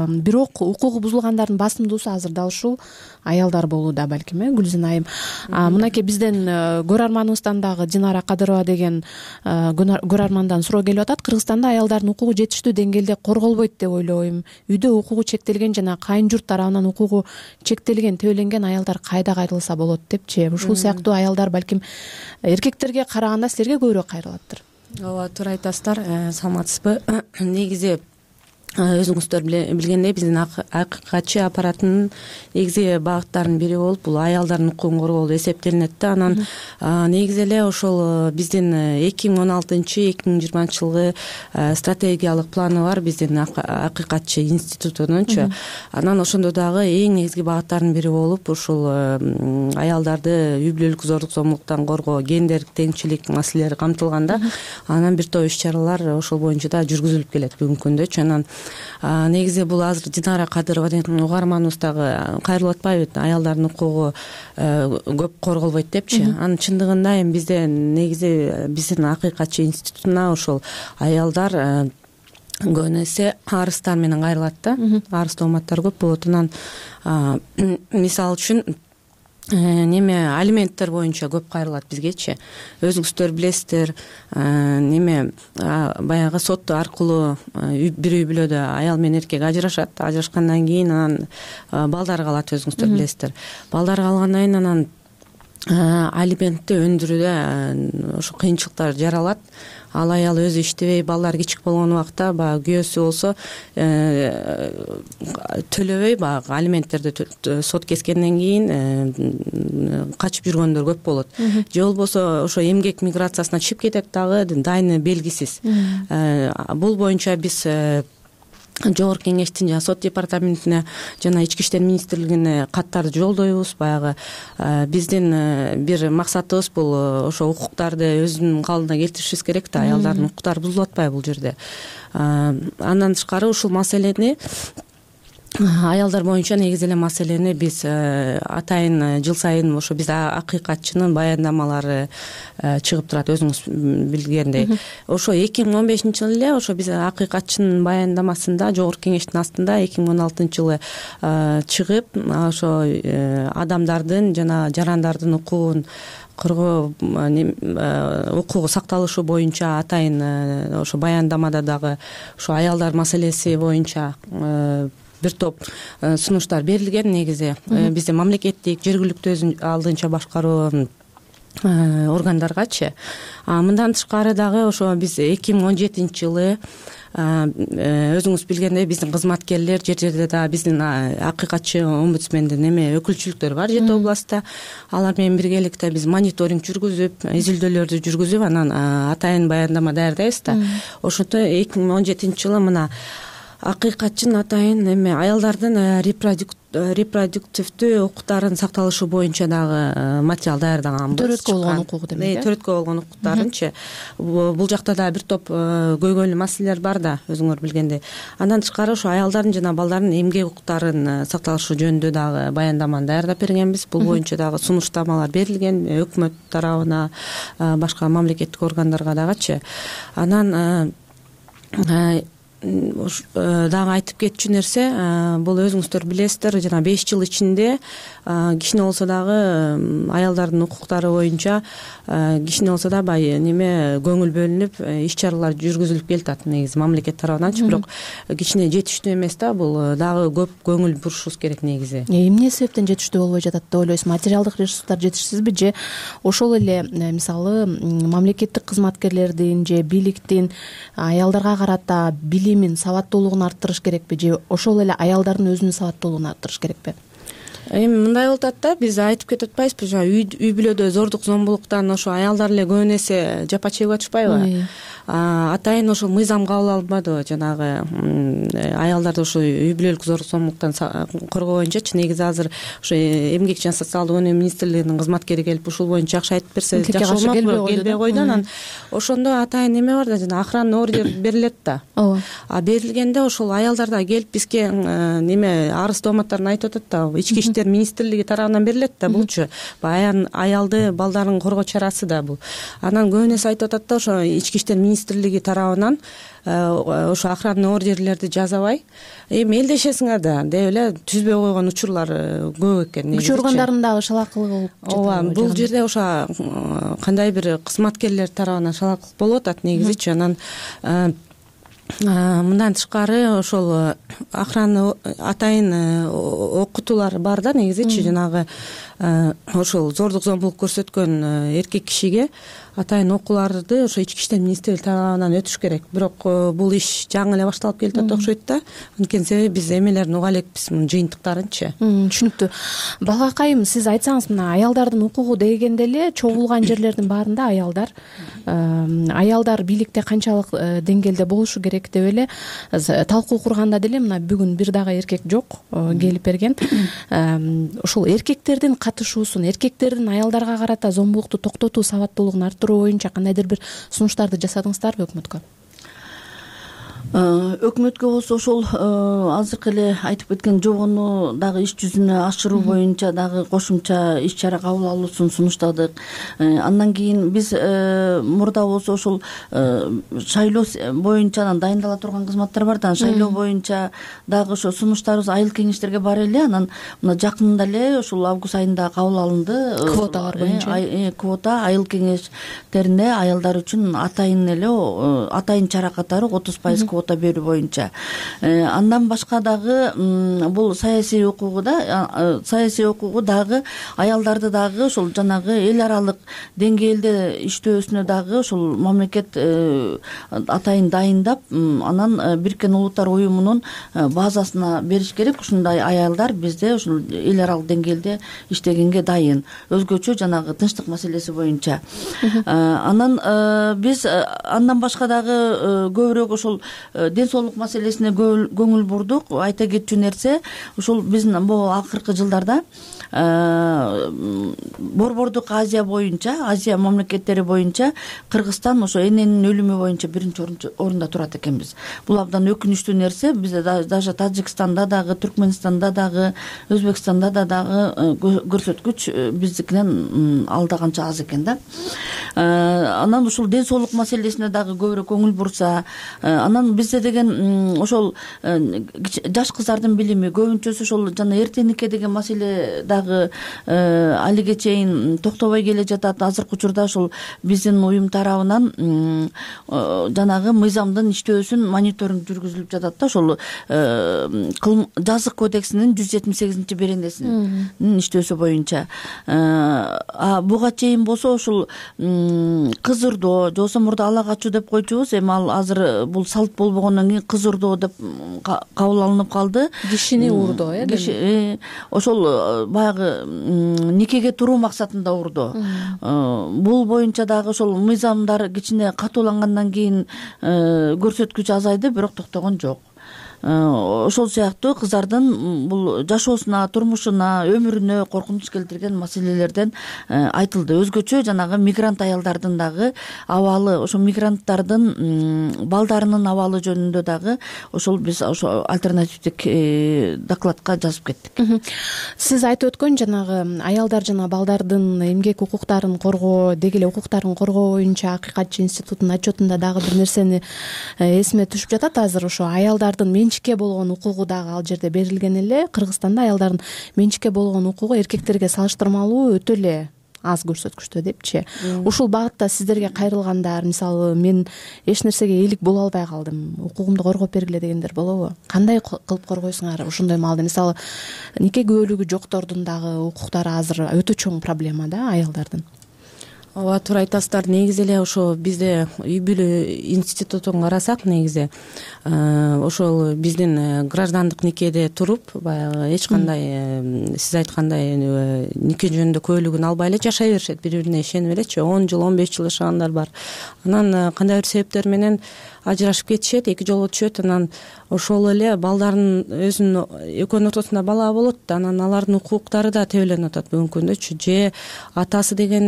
Бирок укугу бузулгандардын басымдуусу азыр дал ушул аялдар болууда балким, Гүлзин айым. Мынакей бизден көрөрманыбыздан дагы Динара Кадырова деген көрөрмандан суроо келип атат. Кыргызстанда аялдардын укугу жетиштүү деңгээлде корголбойт деп ойлойм. Үйдө укугу чектелген жана кайын журт тарабынан укугу чектелген, төбөленген аялдар кайда кайрылса болот депчи. Ушул сыяктуу аялдар балким эркектерге караганда силерге көбүрөөк кайрылаттыр. Ооба, туура айтасыздар. Саламатсызбы? Негизи өзүңүздөр билгендей, биздин акыйкатчы аппараттын негизи багыттарынын бири болуп, бул аялдардын укугун коргоо эсептелинет да. Анан негизи эле ошол биздин 2016-2020 жылгы стратегиялык планы бар биздин акыйкатчы институтунунчу. Анан ошондо дагы эң негизги багыттарынын бири болуп, ушул аялдарды үй бүлөлүк зордук зомбулуктан коргоо, гендердик теңчилик маселелери камтылган да. Анан бир топ иш-чаралар ошол боюнча да жүргүзүлүп келет бүгүнкү күндө. Анан негизи бул азыр Динара Кадырова деген угарманыбыз дагы кайрылып атпайбы, аялдардын укугу көп корголбойт депчи. Анын чындыгында эми бизде негизи биздин акыйкатчы институтуна ошол аялдар көбүнө эсе арыздар менен кайрылат да. Арыз тооматтар көп болот. Анан мисалы үчүн алименттер боюнча көп кайрылат бизгечи. Өзүңүздөр билесиздер, баягы сот аркылуу бир үй бүлөдө аял менен эркек ажырашат. Ажырашкандан кийин анан балдар калат, өзүңүздөр билесиздер. Балдар калгандан кийин анан алиментти өндүрүүдө ошо кыйынчылыктар жаралат. Ал аял өзү иштебей, балдар кичик болгон убакта баягы күйөөсү болсо төлөбөй, баягы алименттерди сот кескенден кийин качып жүргөндөр көп болот. Же болбосо ошо эмгек миграциясына чыгып кетет дагы, дайыны белгисиз. Бул боюнча биз Жогорку кеңештин жана сот департаментине жана Ички иштер министрлигине каттарды жолдойбуз. Баягы биздин бир максатыбыз бул ошо укуктарды өзүнүн калыбына келтиришибиз керек да, аялдардын укуктары бузулуп атпайбы бул жерде. Андан тышкары ушул маселени аялдар боюнча негизи эле маселени биз атайын жыл сайын ошо бизде акыйкатчынын баяндамалары чыгып турат, өзүңүз билгендей. Ошо 2015-жылы эле ошо биз акыйкатчынын баяндамасында Жогорку кеңештин астында 2016-жылы чыгып, ошо адамдардын жана жарандардын укугун коргоо, укугу сакталышы боюнча атайын ошо баяндамада дагы ошо аялдар маселеси боюнча бир топ сунуштар берилген. Негизи бизде мамлекеттик, жергиликтүү өзүн алдынча башкаруу органдаргачы. Мындан тышкары дагы ошо биз 2017-жылы өзүңүз билгендей биздин кызматкерлер жер жерде дагы биздин акыйкатчы омбудсмендин өкүлчүлүктөрү бар жети областта. Алар менен биргеликте биз мониторинг жүргүзүп, изилдөөлөрдү жүргүзүп, анан атайын баяндама даярдайбыз да. Ошондо 2017-жылы мына акыйкатчын атайын эме аялдардын репродуктивдүү укуктарын сакталышы боюнча дагы материал даярдаганбыз. Төрөткө болгон укугу демек. Төрөткө болгон укуктарынчы. Бул жакта да бир топ көйгөйлүү маселелер бар да, өзүңөр билгендей. Андан тышкары ошо аялдардын жана балдардын эмгек укуктарын сакталышы жөнүндө дагы баяндаманы даярдап бергенбиз. Бул боюнча дагы сунуштамалар берилген өкмөт тарабына, башка мамлекеттик органдарга дагычы. Анан дагы айтып кетчү нерсе, бул өзүңүздөр билесиздер, жана 5 жыл ичинде кичине болсо дагы аялдардын укуктары боюнча кичине болсо да бай неме көңүл бөлүнүп иш чаралар жүргүзүлүп келатат негизи мамлекет тарабынан, бирок кичине жетиштүү эмес да, бул дагы көп көңүл бурушубуз керек негизи. Эмне себептен жетиштүү болбой жатат деп ойлойсуз? Материалдык ресурстар жетишсизби же ошол эле мисалы мамлекеттик кызматкерлердин же бийликтин аялдарга карата билимин, сабаттуулугун арттырыш керекпи же ошол эле аялдардын өзүнүн сабаттуулугун арттырыш керекпи? Эми мындай болуп атат да, биз айтып кетип атпайбызбы, жана үй бүлөдө зордук зомбулуктан ошо аялдар эле көбүн эсе жапа чегип атышпайбы? Атайын ошол мыйзам кабыл алынбадыбы, жанагы аялдарды ошо үй бүлөлүк зордук зомбулуктан коргоо боюнчачы. Негизи азыр ошо эмгек жана социалдык өнүгүү министрлигинин кызматкери келип ушул боюнча жакшы айтып берсе жакшы болмокпу? Келбей койду. Анан ошондо атайын эме бар да, жана охранный ордер берилет да. Ооба. Берилгенде ошол аялдар да келип бизге неме арыз тооматтарын айтып атат да, ички иштер министрлиги тарабынан берилет да булчу. Аялды, балдарын коргоо чарасы да бул. Анан көбүн эсе айтып атат да, ошо ички иштер министрлиги тарабынан ошо охранный ордерлерди жазабай эми элдешесиңер да деп эле түзбөй койгон учурлар көп экен. Күч органдарынын дагы шалаакылыгы болуп жатат. Ооба, бул жерде ошо кандай бир кызматкерлер тарабынан шалаакылык болуп атат негизичи. Анан мындан тышкары ошол охрана атайын окутуулар бар да негизичи, жанагы ошол зордук зомбулук көрсөткөн эркек кишиге атайын окууларды ошо ички иштер министрлиги тарабынан өтүш керек. Бирок бул иш жаңы эле башталып келатат окшойт да. Анткени себеби биз эмелерин уга элекпиз, мунун жыйынтыктарынчы. Түшүнүктүү. Балгакайым, сиз айтсаңыз, мына аялдардын укугу дегенде эле чогулган жерлердин баарында аялдар бийликте канчалык деңгээлде болушу керек деп эле талкуу курганда деле мына бүгүн бир дагы эркек жок келип берген. Ошол эркектердин катышуусун, эркектердин аялдарга карата зомбулукту токтотуу, сабаттуулугун арттыруу боюнча кандайдыр бир сунуштарды жасадыңыздарбы өкмөткө? Өкмөткө болсо ошол азыркы эле айтып кеткен жобону дагы иш жүзүнө ашыруу боюнча дагы кошумча иш чара кабыл алуусун сунуштадык. Андан кийин биз мурда болсо ошол шайлоо боюнча анан дайындала турган кызматтар бар да, шайлоо боюнча дагы ошо сунуштарыбыз айыл кеңештерге бар эле. Анан мына жакында эле ошол август айында кабыл алынды. Квоталар боюнча. Квота айыл кеңештерине аялдар үчүн атайын эле атайын чара катары 30% квота берүү боюнча. Андан башка дагы бул саясий укугу да, саясий укугу дагы аялдарды дагы ошол жанагы эл аралык деңгээлде иштөөсүнө дагы ошол мамлекет атайын дайындап, анан Бириккен Улуттар уюмунун базасына бериш керек. Ушундай аялдар бизде ошол эл аралык деңгээлде иштегенге дайын. Өзгөчө жанагы тынчтык маселеси боюнча. Анан биз андан башка дагы көбүрөөк ошол ден соолук маселесине көңүл бурдук. Айта кетчү нерсе, ошол биздин бул акыркы жылдарда Борбордук Азия боюнча, Азия мамлекеттери боюнча Кыргызстан ошо эненин өлүмү боюнча биринчи орунда турат экенбиз. Бул абдан өкүнүчтүү нерсе. Бизде даже Тажикстанда дагы, Түркмөнстанда дагы, Өзбекстанда дагы көрсөткүч биздикинен алда канча аз экен да. Анан ушул ден соолук маселесине дагы көбүрөөк көңүл бурса, анан бизде деген ошол жаш кыздардын билими көбүнчөсү ошол жана эртеңикке деген маселе дагы алиге чейин токтобой келе жатат. Азыркы учурда ошол биздин уюм тарабынан жанагы мыйзамдын иштөөсүн мониторинг жүргүзүлүп жатат да. Ошол жазык кодексинин 178 беренесинин иштөөсү боюнча. Буга чейин болсо ошол кыз ырдоо, же болбосо мурда ала качуу деп койчубуз. Эми ал азыр бул салт болбогондон кийин кыз ырдоо деп кабыл алынып калды. Кишини урдоо, ошол баягы никеге туруу максатында урдоо. Бул боюнча дагы ошол мыйзамдар кичине катуулангандан кийин көрсөткүч азайды, бирок токтогон жок. ошол сыяктуу кыздардын бул жашоосуна, турмушуна, өмүрүнө коркунуч келтирген маселелерден айтылды. Өзгөчө жанагы мигрант аялдардын дагы абалы, ошо мигранттардын балдарынын абалы жөнүндө дагы ошол биз ошо альтернативдик докладка жазып кеттик. Сиз айтып өткөн жанагы аялдар жана балдардын эмгек укуктарын коргоо, деги эле укуктарын коргоо боюнча Акыйкатчы институтунун отчетунда дагы бир нерсени эсиме түшүп жатат. Азыр ошо аялдардын менчикке болгон укугу дагы ал жерде берилген эле. Кыргызстанда аялдардын менчикке болгон укугу эркектерге салыштырмалуу өтө эле аз көрсөткүчтө депчи. Ушул багытта сиздерге кайрылгандар, мисалы мен эч нерсегеээлик боло албай калдым, укугумду коргоп бергиле дегендер болобу? Кандай кылып коргойсуңар ошондой маалда? Мисалы нике күбөлүгү жоктордун дагы укуктары азыр өтө чоң проблема да аялдардын. Ооба, туура айтасыздар. Негизи эле ошо бизде үй бүлө институтун карасак, негизи ошол биздин граждандык никеде туруп, баягы эч кандай сиз айткандай нике жөнүндө күбөлүгүн албай эле жашай беришет, бири бирине ишенип элечи. 10 жыл, 15 жыл жашагандар бар. Анан кандай бир себептер менен ажырашып кетишет, эки жолго түшөт. Анан ошол эле балдардын өзүнүн экөөнүн ортосунда бала болот, анан алардын укуктары да тебеленип атат бүгүнкү күндөчү. Же атасы деген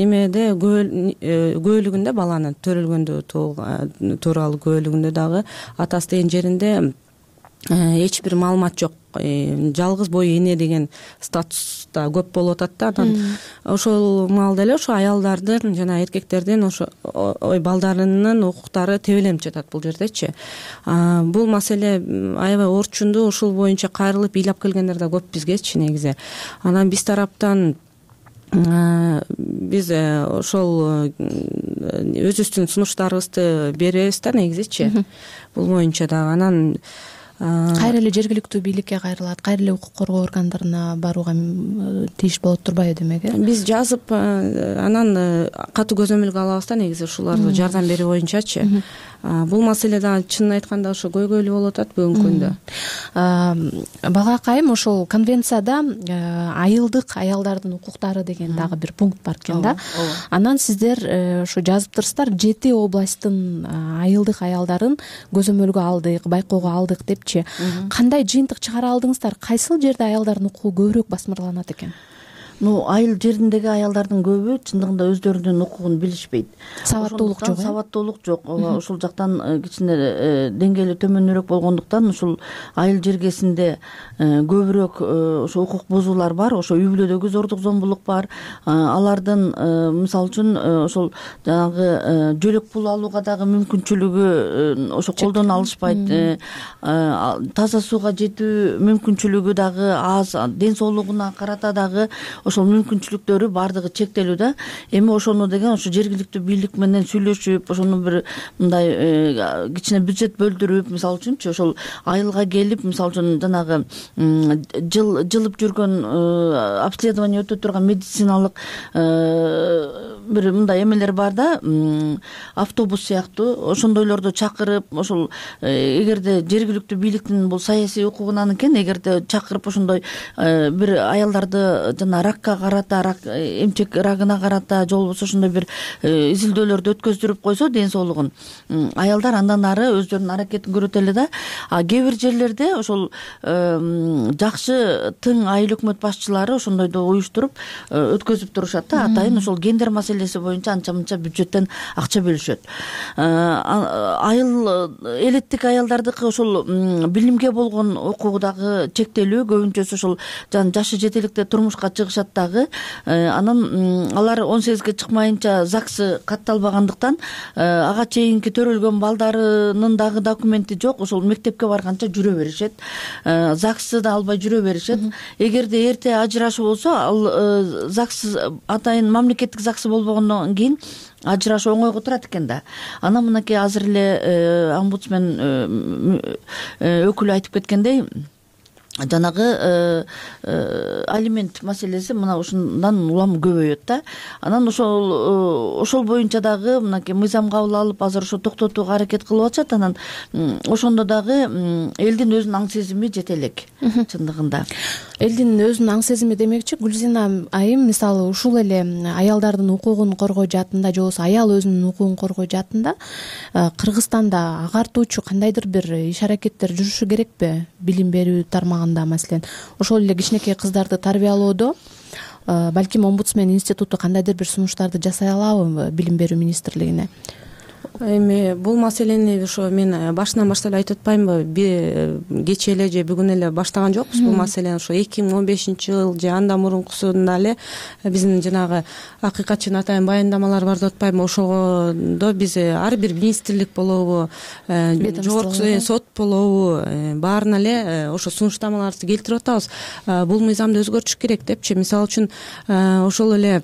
немеде күбөлүгүндө, баланын төрөлгөндө тууралуу күбөлүгүндө дагы атасы деген жеринде эч бир маалымат жок. Жалгыз бой эне деген статуста көп болуп атат да. Анан ошол маалда эле ошо аялдардын жана эркектердин ошо балдарынын укуктары тебеленип жатат бул жердечи. Бул маселе аябай орчундуу, ушул боюнча кайрылып ыйлап келгендер да көп бизгечи негизи. Анан биз тараптан биз ошол өзүбүздүн сунуштарыбызды беребиз да негизичи. Бул боюнча дагы анан кайра эле жергиликтүү бийликке кайрылат, кайра эле укук коргоо органдарына барууга тийиш болот турбайбы демек? Биз жазып анан катуу көзөмөлгө алабыз да негизи ушуларды жардам берүү боюнчачы. Бул маселе дагы чынын айтканда ошо көйгөйлүү болуп атат бүгүнкү күндө. Бага акайым, ошол конвенцияда айылдык аялдардын укуктары деген дагы бир пункт бар экен да. Анан сиздер ошо жазыптырсыздар, 7 областтын айылдык аялдарын көзөмөлгө алдык, байкоого алдык депчи. Кандай жыйынтык чыгара алдыңыздар? Кайсыл жерде аялдардын укугу көбүрөөк басмырланат экен? Айыл жериндеги аялдардын көбү чындыгында өздөрүнүн укугун билишпейт. Сабаттуулук жок. Сабаттуулук жок. Ошол жактан кичине деңгээли төмөнүрөөк болгондуктан ушул айыл жергесинде көбүрөөк ошо укук бузуулар бар. Ошо үй бүлөдөгү зордук зомбулук бар. Алардын мисалы үчүн ошол жанагы жөлөк пул алууга дагы мүмкүнчүлүгү ошо колдон алышпайт. Таза сууга жетүү мүмкүнчүлүгү дагы аз. Ден соолугуна карата дагы ошол мүмкүнчүлүктөрү баардыгы чектелүү да. Эми ошону деген ошо жергиликтүү бийлик менен сүйлөшүп, ошону бир мындай кичине бюджет бөлдүрүп, мисалы үчүнчү ошол айылга келип, мисалы үчүн жанагы жылып жүргөн обследование өтө турган медициналык бир мындай эмелер бар да, автобус сыяктуу, ошондойлорду чакырып, ошол эгерде жергиликтүү бийликтин бул саясий укугунан экен, эгерде чакырып ошондой бир аялдарды жана ракка карата, эмчек рагына карата же болбосо ошондой бир изилдөөлөрдү өткөздүрүп койсо ден соолугун, аялдар андан ары өздөрүнүн аракетин көрөт эле да. Кээ бир жерлерде ошол жакшы тың айыл өкмөт башчылары ошондойду уюштуруп өткөзүп турушат да. Атайын ошол гендер маселеси боюнча анча мынча бюджеттен акча бөлүшөт. Айыл элеттик аялдардыкы ошол билимге болгон укугу дагы чектелүү, көбүнчөсү ошол жашы жетеликте турмушка чыгышат дагы. Анан алар 18-ге чыкмайынча ЗАГСы катталбагандыктан ага чейинки төрөлгөн балдарынын дагы документи жок. Ошол мектепке барганча жүрө беришет. ЗАГСты да албай жүрө беришет. Эгерде эрте ажырашуу болсо, ал ЗАГС атайын мамлекеттик ЗАГСы болбогондон кийин ажырашуу оңойго турат экен да. Анан мынакей азыр эле омбудсмен өкүлү айтып кеткендей, жанагы алимент маселеси мына ушундан улам көбөйөт да. Анан ошол боюнча дагы мынакей мыйзам кабыл алып азыр ошо токтотууга аракет кылып атышат. Анан ошондо дагы элдин өзүнүн аң сезими жете элек чындыгында. Элдин өзүнүн аң сезими демекчи Гүлзина айым, мисалы ушул эле аялдардын укугун коргоо жаатында же болбосо аял өзүнүн укугун коргоо жаатында Кыргызстанда агартуучу кандайдыр бир иш аракеттер жүрүшү керекпи? Билим берүү тармагында маселен ошол эле кичинекей кыздарды тарбиялоодо балким омбудсмен институту кандайдыр бир сунуштарды жасай алабы билим берүү министрлигине? Эми бул маселени ошо мен башынан баштап эле айтып атпаймынбы, кечээ эле же бүгүн эле баштаган жокпуз бул маселени. Ошо 2015-жыл же андан мурункусунда эле биздин жанагы акыйкатчынын атайын баяндамалары бар деп атпаймынбы, ошодо биз ар бир министрлик болобу, жогорку сот болобу, баарына эле ошо сунуштамаларды келтирип атабыз. Бул мыйзамды өзгөртүш керек депчи. Мисалы үчүн ошол эле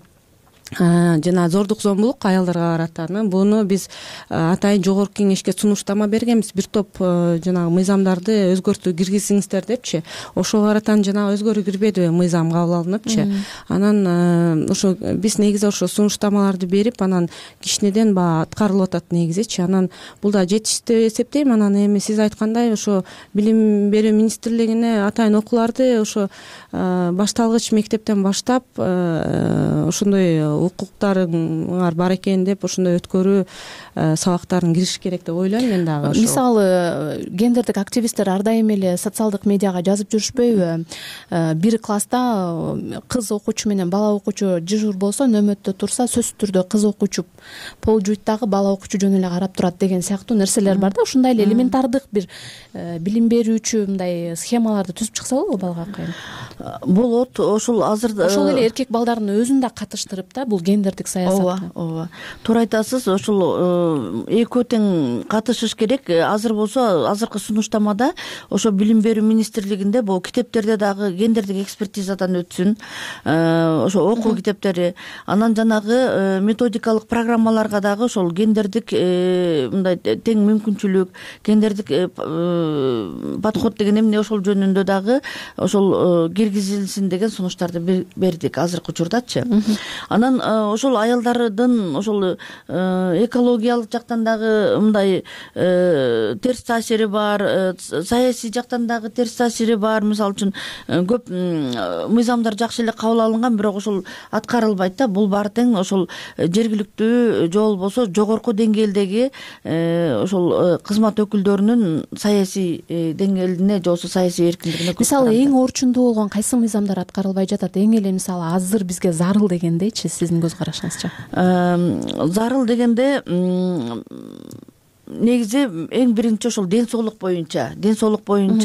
жана зордук зомбулук аялдарга карата буну биз атайын жогорку кеңешке сунуштама бергенбиз. Бир топ жанагы мыйзамдарды өзгөртүү киргизиңиздер депчи. Ошого карата жанагы өзгөрүү кирбедиби, мыйзам кабыл алыныпчы. Анан ошо биз негизи ошо сунуштамаларды берип, анан кичинеден баягы аткарылып атат негизичи. Анан бул да жетиштүү деп эсептейм. Анан эми сиз айткандай ошо билим берүү министрлигине атайын окууларды ошо башталгыч мектептен баштап ошондой укуктарыңар бар экен деп ошондой өткөрүү сабактарын кириш керек деп ойлойм мен дагы. Мисалы гендердик активисттер ар дайым эле социалдык медиага жазып жүрүшпөйбү? Бир класста кыз окуучу менен бала окуучу дежур болсо, нөмөттө турса сөзсүз түрдө кыз окуучу пол жуйт дагы бала окуучу жөн эле карап турат деген сыяктуу нерселер бар да. Ушундай эле элементардык бир билим берүүчү мындай схемаларды түзүп чыкса болобу балага кайын? Болот. Ошол азыр ошол эле эркек балдардын өзүн да катыштырып да бул гендердик саясатка. Ооба. Туура айтасыз. Ошол экөө тең катышыш керек. Азыр болсо азыркы сунуштамада ошо билим берүү министрлигинде бул китептерде дагы гендердик экспертизадан өтсүн. Ошо окуу китептери, анан жанагы методикалык программаларга дагы ошол гендердик мындай тең мүмкүнчүлүк, гендердик подход деген эмне ошол жөнүндө дагы ошол киргизилсин деген сунуштарды бердик азыркы учурдачы. Анан ошол аялдардын ошол экологиялык жактан дагы мындай терс таасири бар, саясий жактан дагы терс таасири бар. Мисалы үчүн көп мыйзамдар жакшы эле кабыл алынган, бирок ошол аткарылбайт да. Бул баары тең ошол жергиликтүү же болбосо жогорку деңгээлдеги ошол кызмат өкүлдөрүнүн саясий деңгээлине же болбосо саясий эркиндигине. Мисалы эң орчундуу болгон кайсы мыйзамдар аткарылбай жатат? Эң эле мисалы азыр бизге зарыл дегендейчи, сиздин көз карашыңызча? Зарыл дегенде негизи эң биринчи ошол ден соолук боюнча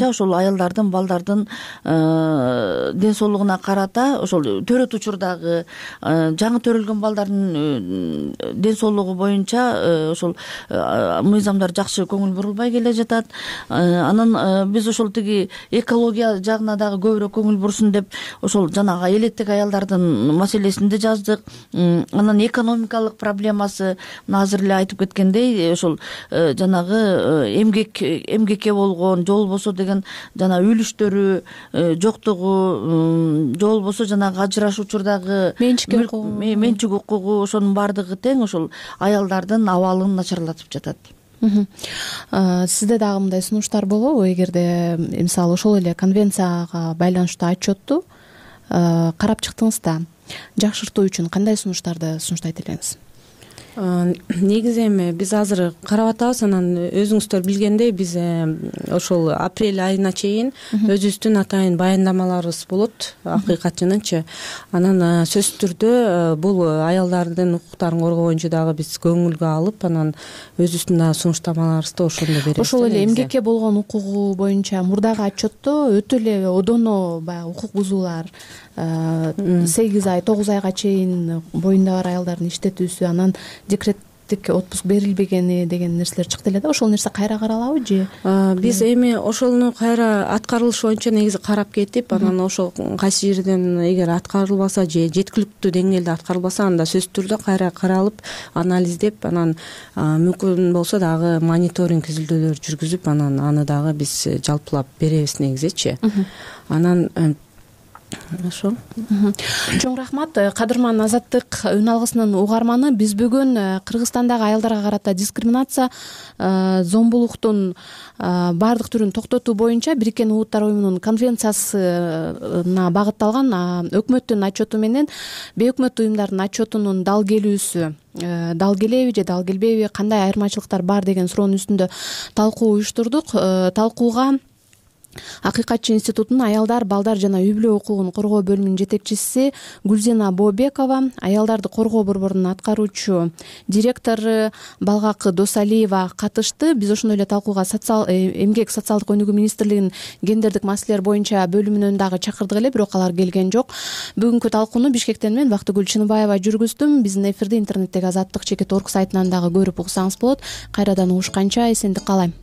ошол аялдардын, балдардын ден соолугуна карата ошол төрөт учурдагы жаңы төрөлгөн балдардын ден соолугу боюнча ошол мыйзамдар жакшы көңүл бурулбай келе жатат. Анан биз ошол тиги экология жагына дагы көбүрөөк көңүл бурсун деп ошол жанагы элеттик аялдардын маселесин да жаздык. Анан экономикалык проблемасы, мына азыр эле айтып кеткендей, ошол жанагы эмгекке болгон же болбосо деген жана үлүштөрү жоктугу, же болбосо жанагы ажырашуу учурдагы менчик укугу, ошонун баардыгы тең ошол аялдардын абалын начарлатып жатат. Сизде дагы мындай сунуштар болобу? Эгерде мисалы ошол эле конвенцияга байланыштуу отчетту карап чыктыңыз да, жакшыртуу үчүн кандай сунуштарды сунуштайт элеңиз? Негизи эми биз азыр карап атабыз. Анан өзүңүздөр билгендей биз ошол апрель айына чейин өзүбүздүн атайын баяндамаларыбыз болот, акыйкатчынынчы. Анан сөзсүз түрдө бул аялдардын укуктарын коргоо боюнча дагы биз көңүлгө алып, анан өзүбүздүн дагы сунуштамаларыбызды ошондо беребиз. Ошол эле эмгекке болгон укугу боюнча мурдагы отчетто өтө эле одоно баягы укук бузуулар 8 ай 9 айга чейин боюнда бар аялдардын иштетүүсү, анан мамлекеттик отпуск берилбегени деген нерселер чыкты эле да. Ошол нерсе кайра каралабы же? Биз эми ошону кайра аткарылышы боюнча негизи карап кетип, анан ошол кайсы жерден эгер аткарылбаса же жеткиликтүү деңгээлде аткарылбаса, анда сөзсүз түрдө кайра каралып, анализдеп, анан мүмкүн болсо дагы мониторинг изилдөөлөр жүргүзүп, анан аны дагы биз жалпылап беребиз негизичи. Анан ошо. Чоң рахмат. Кадырман Азаттык үн алгысынын угарманы. Биз бүгүн Кыргызстандагы аялдарга карата дискриминация, зомбулуктун баардык түрүн токтотуу боюнча Бириккен Улуттар уюмунун конвенциясына багытталган өкмөттүн отчету менен бейөкмөттүү уюмдардын отчетунун дал келүүсү, дал келеби же дал келбейби, кандай айырмачылыктар бар деген суроонун үстүндө талкуу уюштурдук. Талкууга Акыйкатчы институтунун аялдар, балдар жана үй-бүлө укугун коргоо бөлүмүнүн жетекчиси Гүлзена Бообекова, аялдарды коргоо борборунун аткаруучу директору Балгак Досалиева катышты. Биз ошондой эле талкууга эмгек социалдык өнүгүү министрлигинин гендердик маселелер боюнча бөлүмүнөн дагы чакырдык эле, бирок алар келген жок. Бүгүнкү талкууну Бишкектен мен Бактыгүл Чыныбаева жүргүздүм. Биздин эфирди интернеттеги azattik.org сайтынан дагы көрүп уксаңыз болот. Кайрадан угушканча эсендик каалайм.